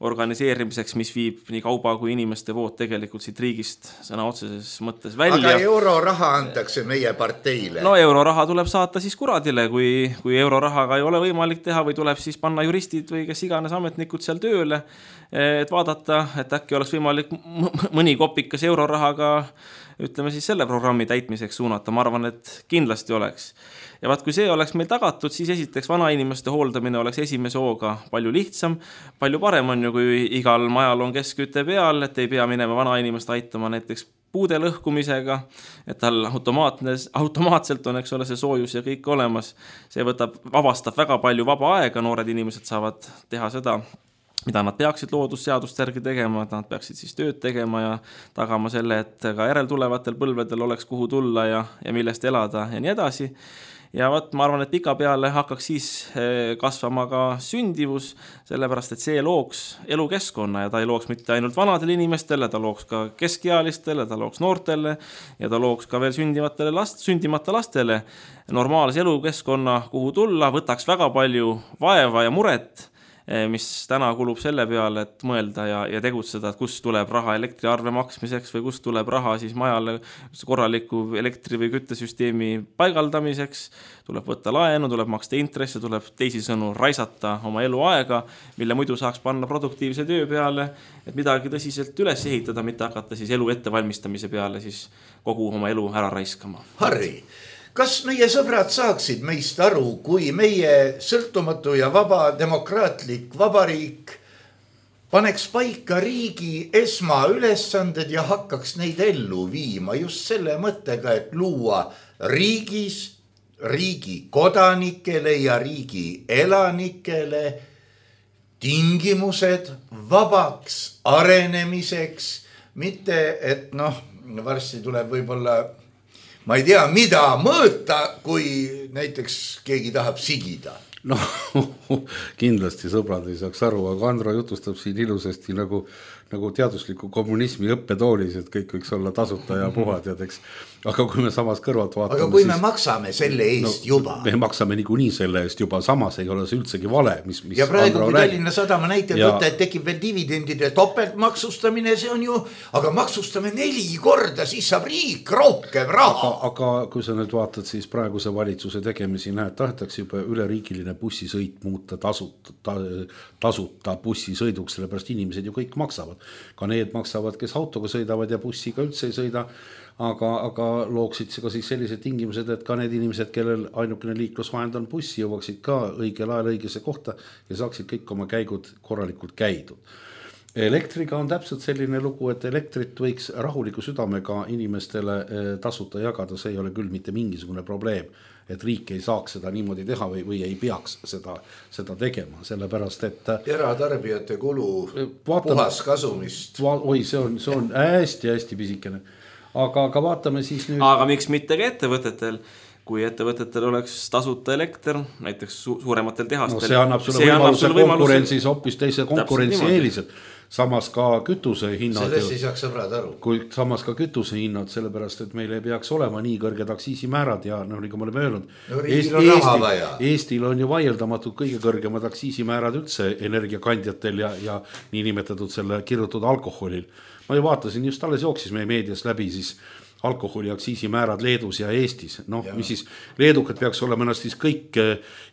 organiseerimiseks, mis viib nii kauba kui inimeste vood tegelikult siit riigist sõna otseses mõttes välja. Aga euroraha antakse meie parteile. No euroraha tuleb saata siis kuradile, kui eurorahaga ei ole võimalik teha või tuleb siis panna juristid või kes iganes ametnikud seal tööle, et vaadata, et äkki oleks võimalik mõni kopikas eurorahaga ütleme siis selle programmi täitmiseks suunata. Ma arvan, et kindlasti oleks. Ja vaat, kui see oleks meil tagatud, siis esiteks vanainimeste hooldamine oleks esimese hooga palju lihtsam. Palju parem on ju, kui igal majal on keskküte peal, et ei pea minema vanainimest aitama näiteks puude lõhkumisega, et tal automaatselt on, eks ole, see soojus ja kõik olemas. See vabastab väga palju vaba aega, noored inimesed saavad teha seda, mida nad peaksid loodusseadust järgi tegema, et nad peaksid siis tööd tegema ja tagama selle, et ka järeltulevatel põlvedel oleks kuhu tulla ja millest elada ja nii edasi. Ja ma arvan, et pika peale hakkaks siis kasvama ka sündivus, sellepärast, et see looks elukeskkonna ja ta ei looks mitte ainult vanadele inimestele, ta looks ka keskealistele, ta looks noortele ja ta looks ka veel sündimata lastele normaalse elukeskkonna, kuhu tulla, võtaks väga palju vaeva ja muret, mis täna kulub selle peale, et mõelda ja tegutseda, et kust tuleb raha elektriarve maksmiseks või kust tuleb raha siis majale korraliku elektri- või küttesüsteemi paigaldamiseks, tuleb võtta laenu, tuleb maksta intresse, tuleb teisisõnu raisata oma eluaega, mille muidu saaks panna produktiivse töö peale, et midagi tõsiselt üles ehitada, mitte hakata siis elu ettevalmistamise peale siis kogu oma elu ära raiskama. Harri, kas meie sõbrad saaksid meist aru, kui meie sõltumatu ja vaba demokraatlik vabariik paneks paika riigi esmaülesanded ja hakkaks neid ellu viima just selle mõttega, et luua riigis, riigi kodanikele ja riigi elanikele tingimused vabaks arenemiseks, mitte et varsti tuleb võib-olla ma ei tea, mida mõõta, kui näiteks keegi tahab sigida. Kindlasti sõbrad ei saaks aru, aga Andro jutustab siin ilusasti nagu teadusliku kommunismi õppetoolis, et kõik võiks olla tasuta ja puhad ja teks. Aga kui me samas kõrvalt vaatame... Aga kui me maksame selle eest juba... Me maksame niikuinii selle eest juba, samas ei ole see üldsegi vale, mis ja praegu, kui Tallinna Sadama näitel võtta, et tekib veel dividendide topeltmaksustamine, see on ju... Aga maksustame 4 korda, siis saab riik rohkem raha. Aga kui sa nüüd vaatad, siis praeguse valitsuse tegemisi näed, tahetakse juba üleriigiline bussisõit muuta tasuta bussisõiduks, sellepärast inimesed ju kõik maksavad. Ka need maksavad, kes autoga sõidavad ja bussiga üldse ei sõida, aga looksid ka siis sellised tingimused, et ka need inimesed, kellel ainukene liiklusvahend on bussi, jõuaksid ka õigel ajal õigesse kohta ja saaksid kõik oma käigud korralikult käidud. Elektriga on täpselt selline lugu, et elektrit võiks rahuliku südamega inimestele tasuta jagada, see ei ole küll mitte mingisugune probleem, et riik ei saaks seda niimoodi teha või ei peaks seda tegema, sellepärast, et eratarbijate kulu puhas kasumist. Oi, see on hästi pisikene. Aga vaatame siis nüüd... Aga miks mitte ka ettevõtetel? Kui ettevõtetel oleks tasuta elekter, näiteks suurematel tehastel... see annab sulle konkurentsis hoopis teise konkurentsieelised. Samas ka kütuse hinnad... Sellest ei saaks sõbrad aru. Samas ka kütuse hinnad, sellepärast, et meil ei peaks olema nii kõrged aktsiisimäärad ja nagu me oleme öelnud, Eestil on ju vaieldamatult kõige kõrgemad aktsiisimäärad üldse energiakandjatel ja niinimetatud selle kirjutatud alkoholil. Ma ju vaatasin, just alles jooksis meie meedias läbi siis alkoholi aktsiisimäärad Leedus ja Eestis. Mis siis leedukad peaks olema ennast siis kõik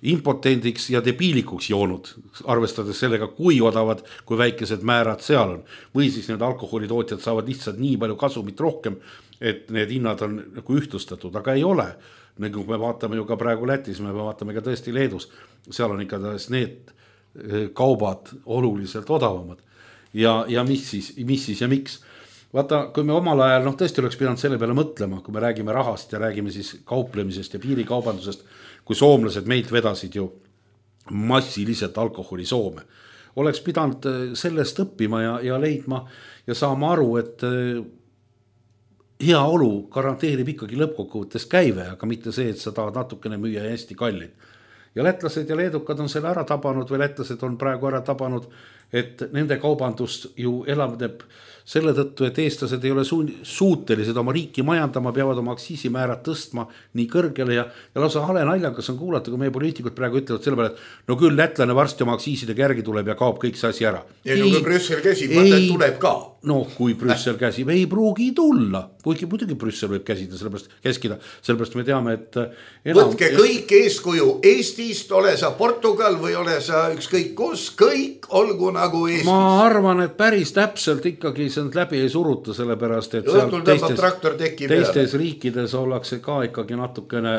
impotendiks ja debiilikuks joonud, arvestades sellega, kui odavad, kui väikesed määrad seal on. Või siis need alkoholitootjad saavad lihtsalt nii palju kasumit rohkem, et need hinnad on nagu ühtlustatud, aga ei ole. Nagu me vaatame ju ka praegu Lätis, me vaatame ka tõesti Leedus, seal on ikka need kaubad oluliselt odavamad. ja mis siis ja miks. Vaata, kui me omal ajal, tõesti oleks pidanud selle peale mõtlema, kui me räägime rahast ja räägime siis kauplemisest ja piirikaubandusest, kui soomlased meilt vedasid ju massiliselt alkoholi Soome. Oleks pidanud sellest õppima ja leidma ja saama aru, et hea olu garanteerib ikkagi lõppkokkuvõttes käive, aga mitte see, et sa tahad natukene müüa hästi kallid. Ja lätlased ja leedukad on selle ära tabanud või lätlased on praegu ära tabanud, et nende kaubandus ju elavneb selle tõttu, et eestlased ei ole suutelised oma riiki majandama, peavad oma aktsiisimäärad tõstma nii kõrgele ja lausa hale naljakas on kuulata, kui meie poliitikud praegu ütlevad selle peale, et no küll lätlane varsti oma aktsiisidega järgi tuleb ja kaob kõik see asi ära. Ja kui Brüssel käsib, mõte tuleb ka. No kui Brüssel käsib, ei pruugi tulla, kuigi muidugi Brüssel võib sellepärast me teame, et võtke kõik eeskuju Eestist, ole sa Portugal või ole sa ükskõik kus, kõik olgu nagu Eestis. Ma arvan, et päris täpselt ikkagi see läbi ei suruta, sellepärast, et teistes riikides ollakse ka ikkagi natukene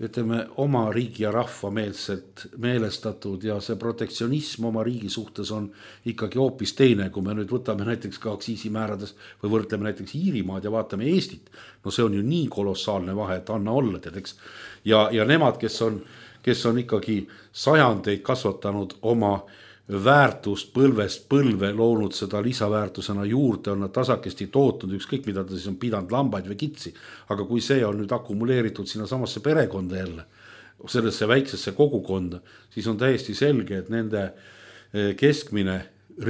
ütleme, oma riigi ja rahva meelestatud ja see protektsionism oma riigi suhtes on ikkagi hoopis teine, kui me nüüd võtame näiteks ka aktsiisimäärades või võrdleme näiteks Iirimaad ja vaatame Eestit. No see on ju nii kolossaalne vahe, et anna olla, teadeks. Ja nemad, kes on ikkagi sajandeid kasvatanud oma väärtust põlvest põlve, loonud seda lisaväärtusena juurde, on nad tasakesti tootnud, ükskõik mida ta siis on pidanud lambaid või kitsi, aga kui see on nüüd akumuleeritud sinna samasse perekonda jälle, sellesse väiksesse kogukonda, siis on täiesti selge, et nende keskmine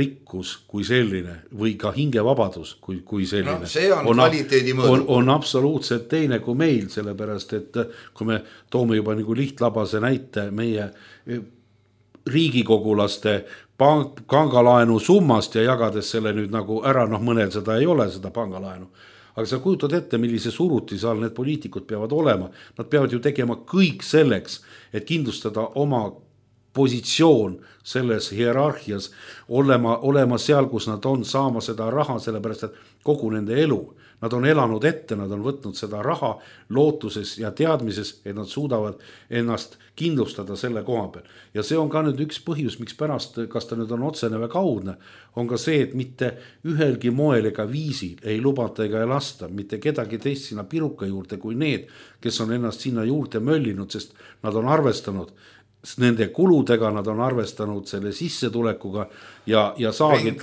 rikkus kui selline või ka hingevabadus kui selline see on kvaliteedi mõõdu. On absoluutselt teine kui meil, sellepärast et kui me toome juba nagu lihtlabase näite meie riigikogulaste pangalaenu summast ja jagades selle nüüd nagu ära, mõnel seda ei ole, seda pangalaenu. Aga sa kujutad ette, millise surutise all need poliitikud peavad olema. Nad peavad ju tegema kõik selleks, et kindlustada oma positsioon selles hierarhias, olema seal, kus nad on, saama seda raha, sellepärast et kogu nende elu. Nad on elanud ette, nad on võtnud seda raha lootuses ja teadmises, et nad suudavad ennast kindlustada selle koha peal. Ja see on ka nüüd üks põhjus, miks pärast, kas ta nüüd on otsene või kaudne, on ka see, et mitte ühelgi moel ega viisil ei lubata ega ei lasta mitte kedagi teist sinna piruka juurde kui need, kes on ennast sinna juurde möllinud, sest nad on arvestanud nende kuludega, nad on arvestanud selle sissetulekuga ja saagid,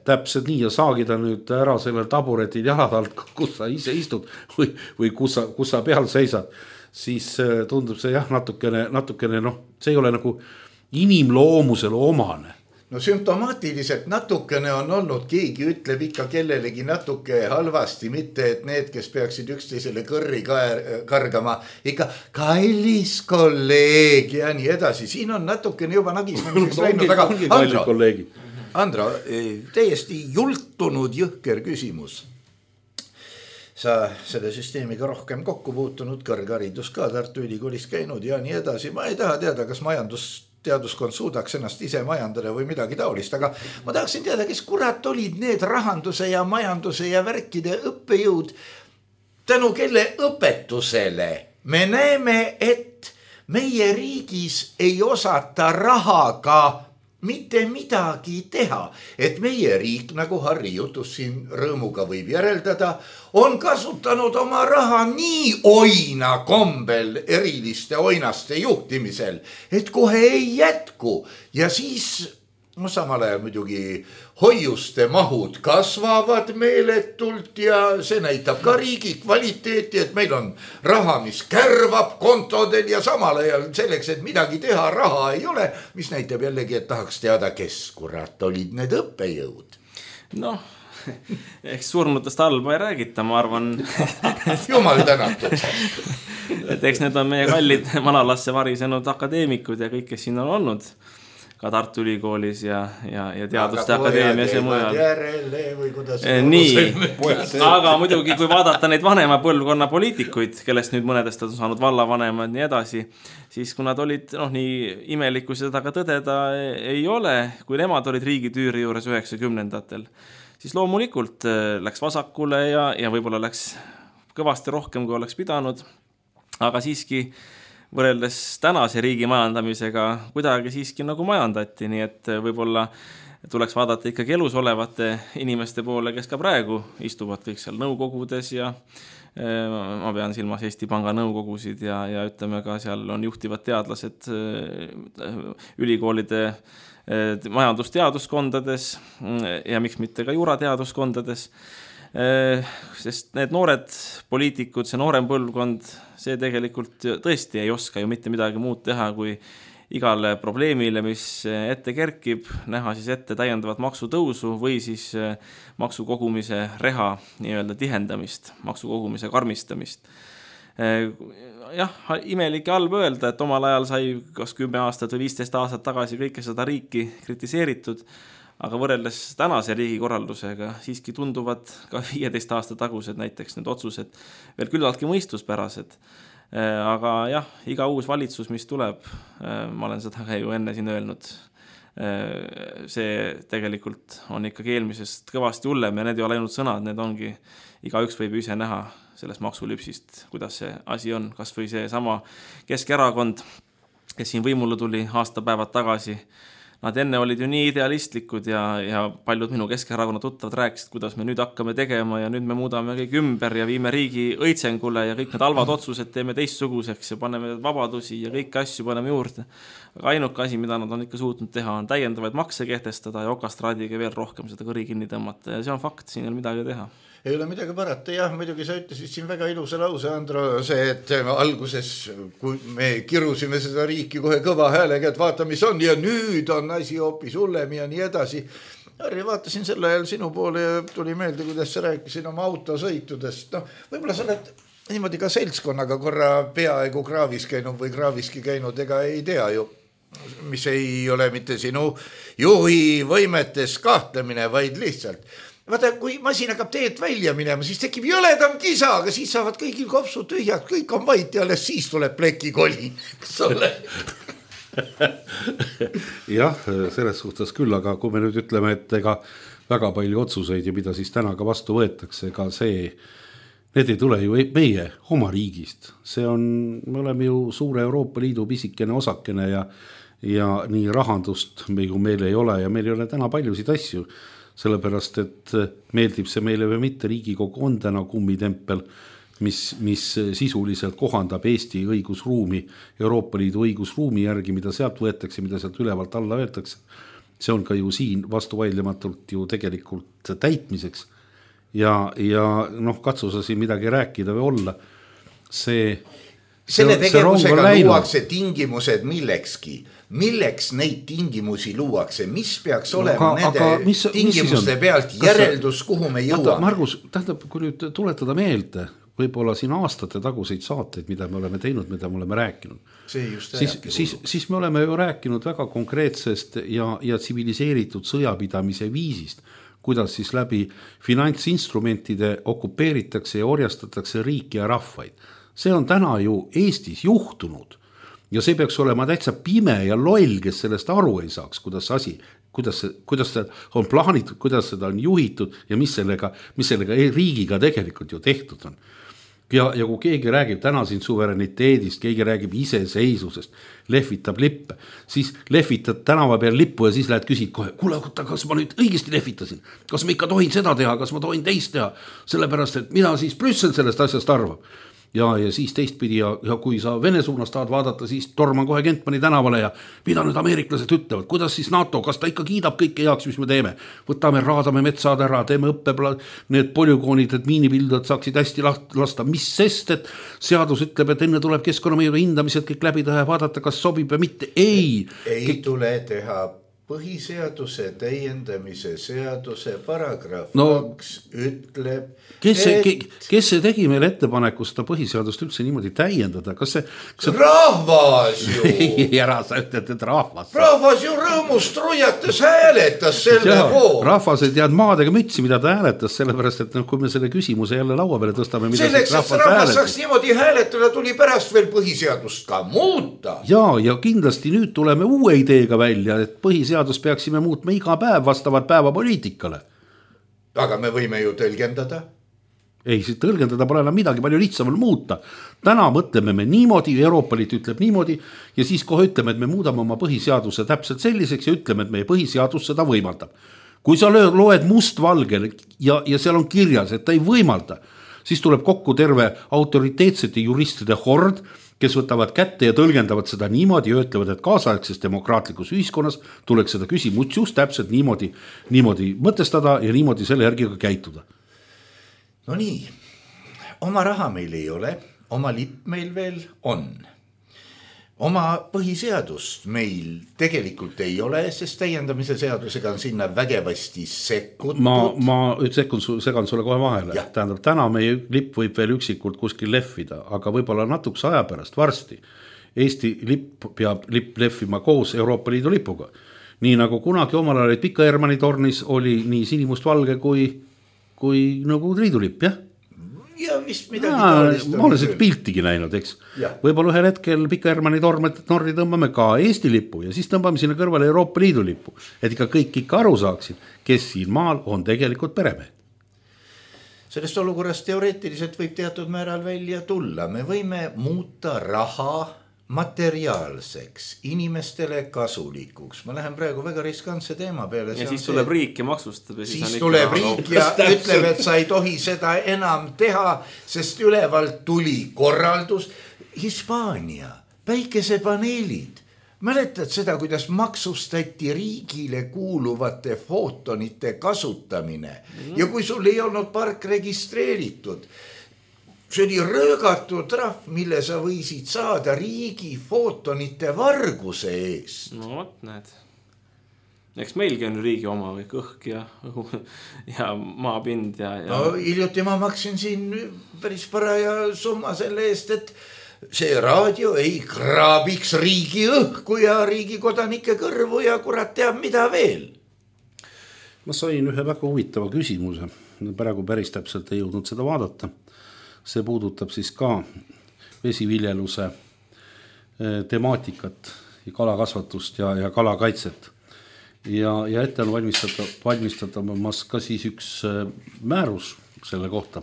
täpselt nii, ja saagida nüüd ära sellel taburetil jalad alt, kus sa ise istud või kus sa peal seisad, siis tundub see jah, natukene, see ei ole nagu inimloomusele omane. No sümptomaatiliselt natukene on olnud, keegi ütleb ikka kellelegi natuke halvasti, mitte et need, kes peaksid üksteisele kõrri kargama, ikka kallis kolleeg ja nii edasi. Siin on natukene juba nagisnemiseks läinud, aga Andro, täiesti jultunud jõhker küsimus. Sa selle süsteemiga rohkem kokku puutunud, kõrgharidus ka Tartu Ülikoolis käinud ja nii edasi. Ma ei taha teada, kas teaduskond suudaks ennast ise majandada või midagi taolist, aga ma tahaksin teada, kes kurat olid need rahanduse ja majanduse ja värkide õppejõud, tänu kelle õpetusele me näeme, et meie riigis ei osata rahaga mitte midagi teha, et meie riik, nagu Harri jutus siin rõõmuga võib järeldada, on kasutanud oma raha nii oina kombel eriliste oinaste juhtimisel, et kohe ei jätku ja siis samal ajal muidugi hoiuste mahud kasvavad meeletult ja see näitab ka riigi kvaliteeti, et meil on raha, mis kärvab kontodel ja samal ajal selleks, et midagi teha, raha ei ole, mis näitab jällegi, et tahaks teada, kes kurat olid need õppejõud. Eks surnutest halba ei räägita, ma arvan. Jumal tänatud. Et eks need on meie kallid manalasse varisenud akadeemikud ja kõik, kes siin on olnud. Ka Tartu Ülikoolis ja Teaduste Akadeemias ja mujal. Nii, aga muidugi, kui vaadata neid vanema põlvkonna poliitikuid, kellest nüüd mõnedest on saanud vallavanemad nii edasi, siis kui nad olid nii imelikku seda ka tõdeda ei ole, kui nemad olid riigitüüri juures 90-ndatel, siis loomulikult läks vasakule ja võib-olla läks kõvasti rohkem, kui oleks pidanud, aga siiski võrreldes tänase riigi majandamisega kuidagi siiski nagu majandati, nii et võib-olla tuleks vaadata ikkagi elus olevate inimeste poole, kes ka praegu istuvad kõik seal nõukogudes ja ma pean silmas Eesti Panga nõukogusid ja ütleme ka seal on juhtivad teadlased ülikoolide majandusteaduskondades ja miks mitte ka juurateaduskondades, sest need noored poliitikud, see noorem põlvkond, see tegelikult tõesti ei oska ju mitte midagi muud teha, kui igale probleemile, mis ette kerkib, näha siis ette täiendavat maksutõusu või siis maksukogumise reha nii-öelda tihendamist, maksukogumise karmistamist. Jah, imelik ja halb öelda, et omal ajal sai kas 10 aastat või 15 aastat tagasi kõike seda riiki kritiseeritud, aga võrreldes tänase riigikorraldusega siiski tunduvad ka 15 aasta tagused näiteks need otsused veel küllaltki mõistuspärased. Aga jah, iga uus valitsus, mis tuleb, ma olen seda ka ju enne siin öelnud, see tegelikult on ikkagi eelmisest kõvasti hullem ja need ei ole ainult sõnad, need ongi, igaüks võib ise näha sellest maksulüpsist, kuidas see asi on, kas või see sama Keskerakond, kes siin võimule tuli aastapäevad tagasi. Nad enne olid ju nii idealistlikud ja paljud minu Keskerakonna tuttavad rääkisid, kuidas me nüüd hakkame tegema ja nüüd me muudame kõik ümber ja viime riigi õitsengule ja kõik need halvad otsused teeme teistsuguseks ja paneme vabadusi ja kõiki asju paneme juurde. Aga ainuke asi, mida nad on ikka suutnud teha, on täiendavaid makse kehtestada ja okastraadiga veel rohkem seda kõri kinni tõmmata ja see on fakt, siin ei ole midagi teha. Ei ole midagi parata, jah, muidugi sa ütlesid siin väga ilusa lause, Andro, see, et alguses, kui me kirusime seda riiki kohe kõva häälega, et vaata, mis on ja nüüd on asi hoopis hullem ja nii edasi. Harri, vaatasin selle ajal sinu poole ja tuli meelde, kuidas sa rääkisid oma autosõitudest. No, võib-olla sa oled niimoodi ka seltskonnaga korra peaaegu kraavis käinud või kraaviski käinud, ega ei tea ju, mis ei ole mitte sinu juhi võimetes kahtlemine, vaid lihtsalt vaata, kui masin hakkab teed välja minema, siis tekib jõledam kisa, aga siis saavad kõigil kopsud tühjad, kõik on vait ja alles siis tuleb plekikoli. Kas ole? Jah, selles suhtes küll, aga kui me nüüd ütleme, et ega väga palju otsuseid ja mida siis täna ka vastu võetakse, ega see, need ei tule ju meie oma riigist. See on, me oleme ju suure Euroopa Liidu pisikene osakene ja nii rahandust meil ei ole ja meil ei ole täna paljusid asju. Sellepärast, et meeldib see meile või mitte, Riigikogu on täna kummitempel, mis sisuliselt kohandab Eesti õigusruumi, Euroopa Liidu õigusruumi järgi, mida sealt võetakse, mida sealt ülevalt alla võetakse. See on ka ju siin vastuvaidlematult ju tegelikult täitmiseks ja noh, katsusa siin midagi rääkida või olla. Selle tegevusega luuakse tingimused milleks neid tingimusi luuakse, mis peaks olema nende tingimuste pealt järeldus, kuhu me jõuame? Margus, tähendab, kui nüüd tuletada meelde, võib-olla siin aastate taguseid saateid, mida me oleme teinud, mida me oleme rääkinud, siis me oleme ju rääkinud väga konkreetsest ja tsiviliseeritud sõjapidamise viisist, kuidas siis läbi finantsinstrumentide okupeeritakse ja orjastatakse riiki ja rahvaid. See on täna ju Eestis juhtunud ja see peaks olema täitsa pime ja loll, kes sellest aru ei saaks, kuidas see on plaanitud, kuidas seda on juhitud ja mis sellega riigiga tegelikult ju tehtud on. Ja kui keegi räägib täna siin suvereniteedist, keegi räägib iseseisvusest, lehvitab lippe, siis lehvitad tänava peal lippu ja siis lähed küsid kohe, kuule, kas ma nüüd õigesti lehvitasin, kas ma ikka tohin seda teha, kas ma tohin teist teha, sellepärast, et mida siis Brüssel sellest asjast arvab. Ja siis teistpidi ja kui sa Vene suunas tahad vaadata, siis torman kohe Kentmani tänavale ja mida nüüd ameeriklased ütlevad, kuidas siis NATO, kas ta ikka kiidab kõike heaks, mis me teeme, võtame, raadame metsad ära, teeme need polügoonid, et miinipildud saaksid hästi lasta, mis sest, et seadus ütleb, et enne tuleb keskkonnamõjude hindamised kõik läbi teha ja vaadata, kas sobib või mitte, ei tule teha põhiseaduse täiendamise seaduse paragrahv 2 ütleb, kes see tegi meil ettepaneku seda põhiseadust üldse niimoodi täiendada? Kas see rahvas ju! Ei, ära sa ütled, et rahvas. Rahvas ju rõõmust rujates hääletas selle pool. Rahvas ei tead maadega mütsi, mida ta hääletas, sellepärast, et kui me selle küsimuse jälle laua peale tõstame, mida selleks, et rahvas saaks niimoodi hääletada, tuli pärast veel põhiseadust ka muuta. Ja kindlasti nüüd tuleme uue ideega välja, et põhiseadus peaksime muutma iga päev vastavalt päevapoliitikale. Aga me võime ju tõlgendada. ei, siis tõlgendada pole enam midagi, palju lihtsamal muuta. Täna mõtleme me niimoodi, Euroopa Liit ütleb niimoodi ja siis kohe ütleme, et me muudame oma põhiseaduse täpselt selliseks ja ütleme, et meie põhiseadus seda võimaldab. Kui sa loed mustvalgel ja seal on kirjas, et ta ei võimalda, siis tuleb kokku terve autoriteetsete juristide hord, kes võtavad kätte ja tõlgendavad seda niimoodi ja ütlevad, et kaasaegses demokraatlikus ühiskonnas tuleks seda küsimust just täpselt niimoodi mõtestada ja niimoodi selle järgi ka käituda. No nii, oma raha meil ei ole, oma lipp meil veel on. Oma põhiseadust meil tegelikult ei ole, sest täiendamise seadusega on sinna vägevasti sekkutud. Ma segan sulle kohe vahele. Tähendab, täna meie lipp võib veel üksikult kuskil lehvida, aga võib-olla natukese aja pärast varsti Eesti lipp peab lehvima koos Euroopa Liidu lipuga. Nii nagu kunagi omal ajal Pika Hermanni tornis oli nii sinimustvalge kui Nõukogude Liidu lipp, jah? Ja vist midagi taolist. Ma olen seda piltigi näinud, eks. Võib-olla ühel hetkel Pika Hermanni torni tõmbame ka Eesti lipu ja siis tõmbame sinna kõrvale Euroopa Liidu lipu, et kõik aru saaksid, kes siin maal on tegelikult peremehed. Sellest olukorrast teoreetiliselt võib teatud määral välja tulla. Me võime muuta raha materiaalseks, inimestele kasulikuks. Ma lähen praegu väga riskantse teema peale. Ja siis tuleb riik ja maksustab. Ja siis tuleb riik ja ütleb, et sa ei tohi seda enam teha, sest ülevalt tuli korraldus. Hispaania, päikesepaneelid. Mäletad seda, kuidas maksustati riigile kuuluvate footonite kasutamine ja kui sul ei olnud park registreeritud, see oli röögatud trahv, mille sa võisid saada riigi footonite varguse eest. No võt, näed. Eks meilgi on riigi oma kõik õhk ja maapind ja... No hiljuti ma maksin siin päris paraja summa selle eest, et see raadio ei kraabiks riigi õhku ja riigi kodanike kõrvu ja kurat teab mida veel. Ma sain ühe väga huvitava küsimuse. Praegu päris täpselt ei jõudnud seda vaadata. See puudutab siis ka vesiviljeluse temaatikat ja kalakasvatust ja kalakaitset. Ja ette on valmistatamas ka siis üks määrus selle kohta.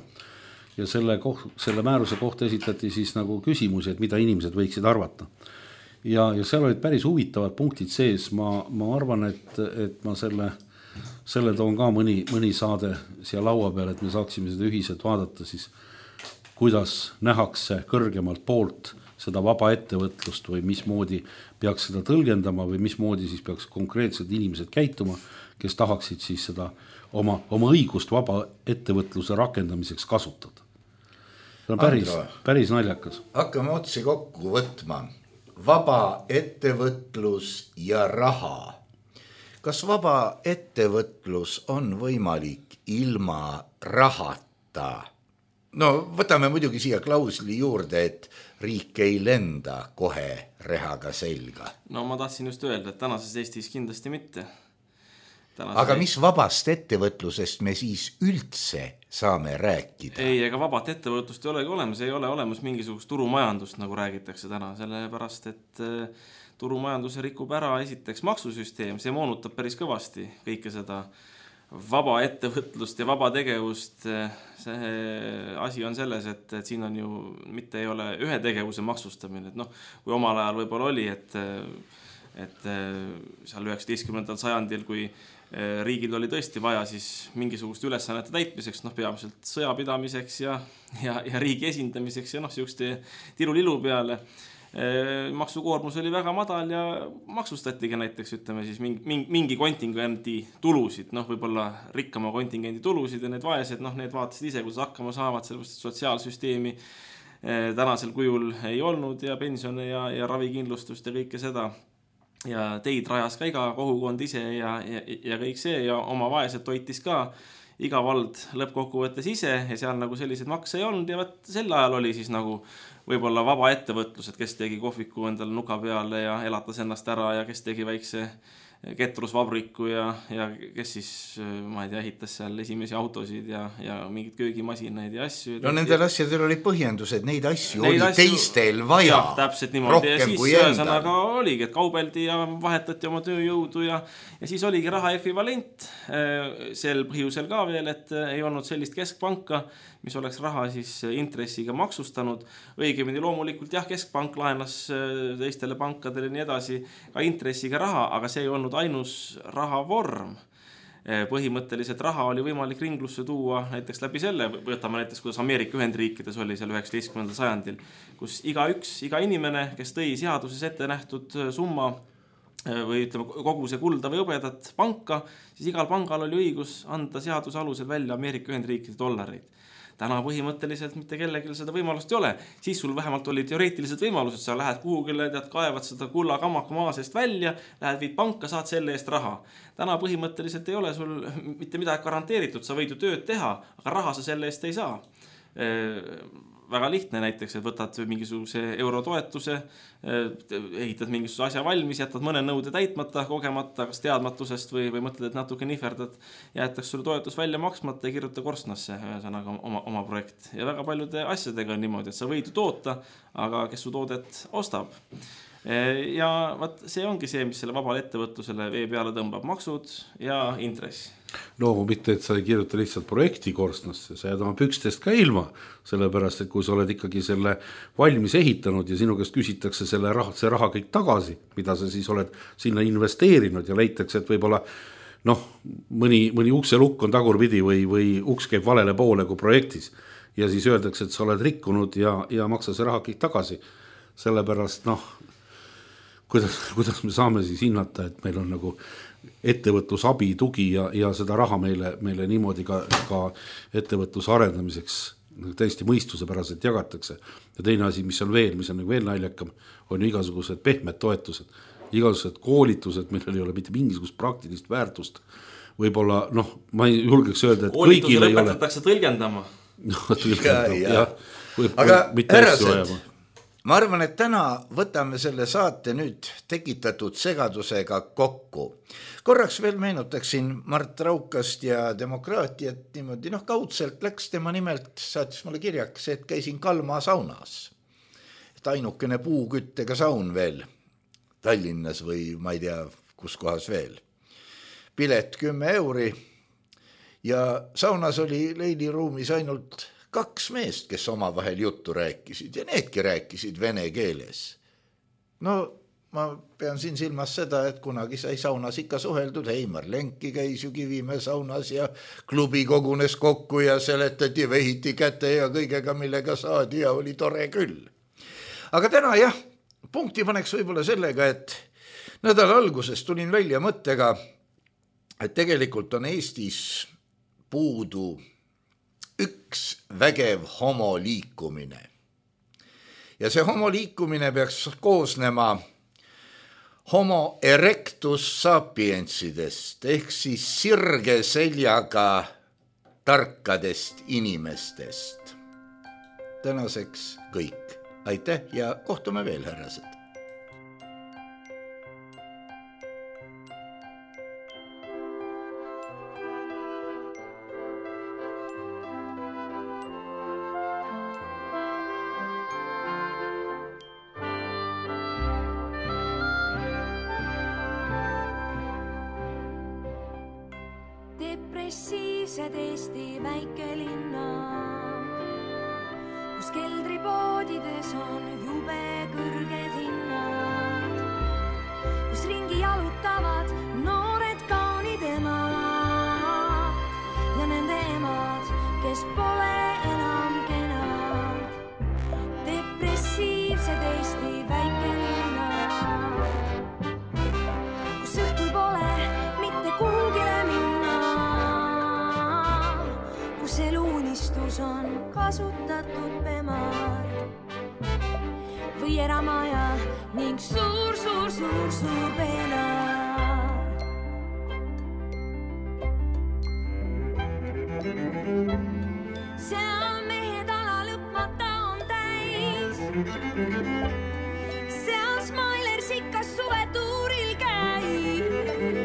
Ja selle määruse kohta esitati siis nagu küsimusi, et mida inimesed võiksid arvata. Ja seal olid päris huvitavad punktid sees. Ma arvan, et ma selle toon ka mõni saade siia laua peale, et me saaksime seda ühiselt vaadata siis, kuidas nähakse kõrgemalt poolt seda vaba ettevõtlust või mismoodi peaks seda tõlgendama või mismoodi siis peaks konkreetsed inimesed käituma, kes tahaksid siis seda oma õigust vaba ettevõtluse rakendamiseks kasutada. See on päris naljakas. Hakkame otsi kokku võtma. Vaba ettevõtlus ja raha. Kas vaba ettevõtlus on võimalik ilma rahata? No võtame muidugi siia klausli juurde, et riik ei lenda kohe rehaga selga. No ma tahtsin just öelda, et tänases Eestis kindlasti mitte. Aga mis vabast ettevõtlusest me siis üldse saame rääkida? Ei, ega vabat ettevõtlust ei olegi olemas, ei ole olemas mingisugust turumajandust, nagu räägitakse täna, sellepärast, et turumajanduse rikub ära esiteks maksusüsteem, see moonutab päris kõvasti kõike seda vaba ettevõtlust ja vaba tegevust. See asi on selles, et siin on ju mitte ei ole ühe tegevuse maksustamine, et kui omal ajal võib-olla oli, et seal 19. sajandil, kui riigil oli tõesti vaja siis mingisugust ülesannete täitmiseks, peamiselt sõjapidamiseks ja riigi esindamiseks ja siukeste tilulilu peale. Maksukoormus oli väga madal ja maksustatigi näiteks, ütleme siis mingi kontingendi tulusid, võib-olla rikkama kontingendi tulusid ja need vaesed, need vaatasid ise, kuidas hakkama saavad, sellepärast sotsiaalsüsteemi tänasel kujul ei olnud ja pensione ja ravikindlustust ja kõike seda. Ja teid rajas ka iga kogukond ise ja kõik see ja oma vaesed toitis ka iga vald lõppkokkuvõttes ise ja seal nagu sellised makse ei olnud ja sel ajal oli siis nagu võib-olla vaba ettevõtlus, et kes tegi kohviku endale nuka peale ja elatas ennast ära ja kes tegi väikse ketrusvabriku ja kes siis, ma ei tea, ehitas seal esimesi autosid ja mingid köögimasinaid ja asju. No nendel asjadel oli põhjendused, neid asju oli teistel vaja. Jah, täpselt niimoodi. Ja siis ühesõnaga oligi, et kaubeldi ja vahetati oma tööjõudu ja siis oligi raha ekvivalent sel põhjusel ka veel, et ei olnud sellist keskpanka, mis oleks raha siis intressiga maksustanud. Õigemini loomulikult jah, keskpank laenas teistele pankadele nii edasi ka intressiga raha, aga see ei olnud ainus rahavorm. Põhimõtteliselt raha oli võimalik ringlusse tuua näiteks läbi selle, võtame näiteks, kuidas Ameerika Ühendriikides oli seal 19. sajandil, kus iga inimene, kes tõi seaduses ette nähtud summa või ütleme kogu see kulda või hõbedat panka, siis igal pangal oli õigus anda seaduse alusel välja Ameerika Ühendriikide dollareid. Täna põhimõtteliselt mitte kellelgi seda võimalust ei ole. Siis sul vähemalt oli teoreetilised võimalused, sa lähed kuhugile, kaevad seda kulla kammaka maa seest välja, lähed viid panka, saad selle eest raha. Täna põhimõtteliselt ei ole sul mitte midagi garanteeritud, sa võid ju tööd teha, aga raha sa selle eest ei saa. Väga lihtne näiteks, et võtad mingisuguse eurotoetuse, ehitad mingisuguse asja valmis, jätad mõne nõude täitmata, kogemata, kas teadmatusest või mõtled, et natuke nihverdad, jäetakse sulle toetus välja maksmata ja kirjuta korstnasse ühesõnaga oma projekt. Ja väga paljude asjadega on niimoodi, et sa võid ju toota, aga kes su toodet ostab. Ja see ongi see, mis selle vabale ettevõtlusele vee peale tõmbab, maksud ja intress. No mitte, et sa ei kirjuta lihtsalt projekti korstnasse, sa jääd oma pükstest ka ilma, sellepärast, et kui sa oled ikkagi selle valmis ehitanud ja sinu käest küsitakse see raha kõik tagasi, mida sa siis oled sinna investeerinud ja leitakse, et võib-olla mõni ukselukk on tagurpidi või uks käib valele poole kui projektis ja siis öeldakse, et sa oled rikkunud ja maksa see raha kõik tagasi. Sellepärast, kuidas me saame siis hinnata, et meil on nagu ettevõtlusabi, tugi ja seda raha meile niimoodi ka ettevõtluse arendamiseks täiesti mõistusepäraselt jagatakse. Ja teine asi, mis on veel naljakam, on igasugused pehmed toetused, igasugused koolitused, millel ei ole mitte mingisugust praktilist väärtust. Võib-olla, ma ei julgeks öelda, et kõigil ei ole. Lõpetatakse tõlgendama. Aga härrased, ma arvan, et täna võtame selle saate nüüd tekitatud segadusega kokku. Korraks veel meenutaksin Mart Raukast ja demokraatiat niimoodi, kaudselt läks tema nimelt, saatis mulle kirjaks, et käisin Kalma saunas. Et ainukene puuküttega saun veel Tallinnas või ma ei tea, kus kohas veel. Pilet 10 euri ja saunas oli leiliruumis ainult 2 meest, kes omavahel juttu rääkisid ja needki rääkisid vene keeles. Ma pean siin silmas seda, et kunagi sai saunas ikka suheldud, Heimar Lenki käis ju Kivimäe saunas ja klubi kogunes kokku ja seletati, vehiti käte ja kõigega, millega saadi ja oli tore küll. Aga täna punkti paneks võib-olla sellega, et nädala alguses tulin välja mõttega, et tegelikult on Eestis puudu üks vägev homoliikumine. Ja see homoliikumine peaks koosnema homo erectus sapiensidest, ehk siis sirge seljaga tarkadest inimestest. Tänaseks kõik. Aitäh ja kohtume veel, härrased. Depressiivsed Eesti väikelinnad, kus keldripoodides on jube kõrged hinnad, kus ringi jalutavad noored kaunid emad ja nende emad, kes pole enam kenad. Depressiivsed Eesti väikelinnad, kus õhtul pole mitte kuhugile minna, kus eluunistus on kasutatud pemad või eramaja ning suur peenar. Seal mehed ala lõpmata on täis, seal Smiler sikas suvetuuril käib.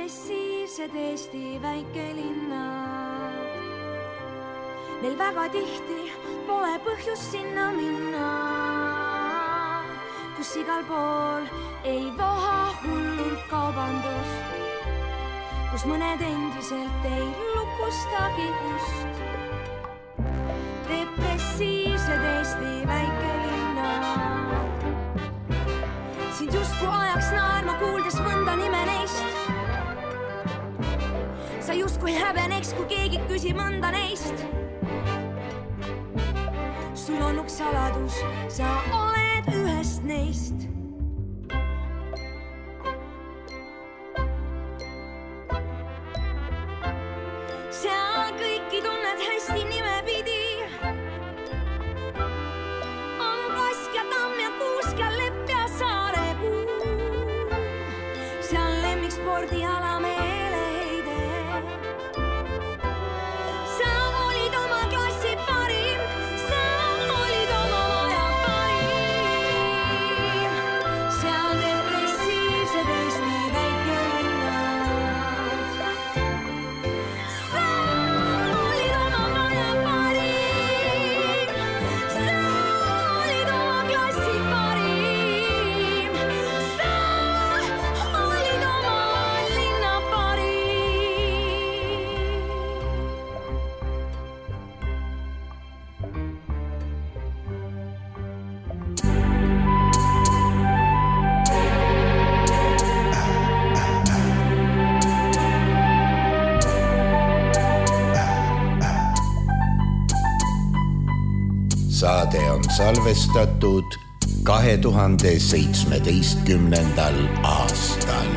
depressiivsed Eesti väikelinnad. Neil väga tihti pole põhjust sinna minna, kus igal pool ei voha hullult kaubandus, kus mõned endiselt ei lukustagi ust. Depressiivsed Eesti väikelinnad, sind justkui ajaks naerma kuuldes mõnda nime neist. Sa justkui häbeneks, kui keegi küsib mõnda neist. Sul on üks saladus, sa oled ühest neist. Seal kõiki tunned hästi nimepidi. On Kask ja Tamm ja Kuusk ja Lepp ja Saarepuu. Seal lemmikspordiala meeleheide. Sa olid oma klassi parim, sa olid oma maja parim. Seal depressiivsed Eesti väikelinnad. Sa olid oma maja parim, sa olid oma klassi parim, sa olid oma linna parim. Saade on salvestatud 2017. aastal.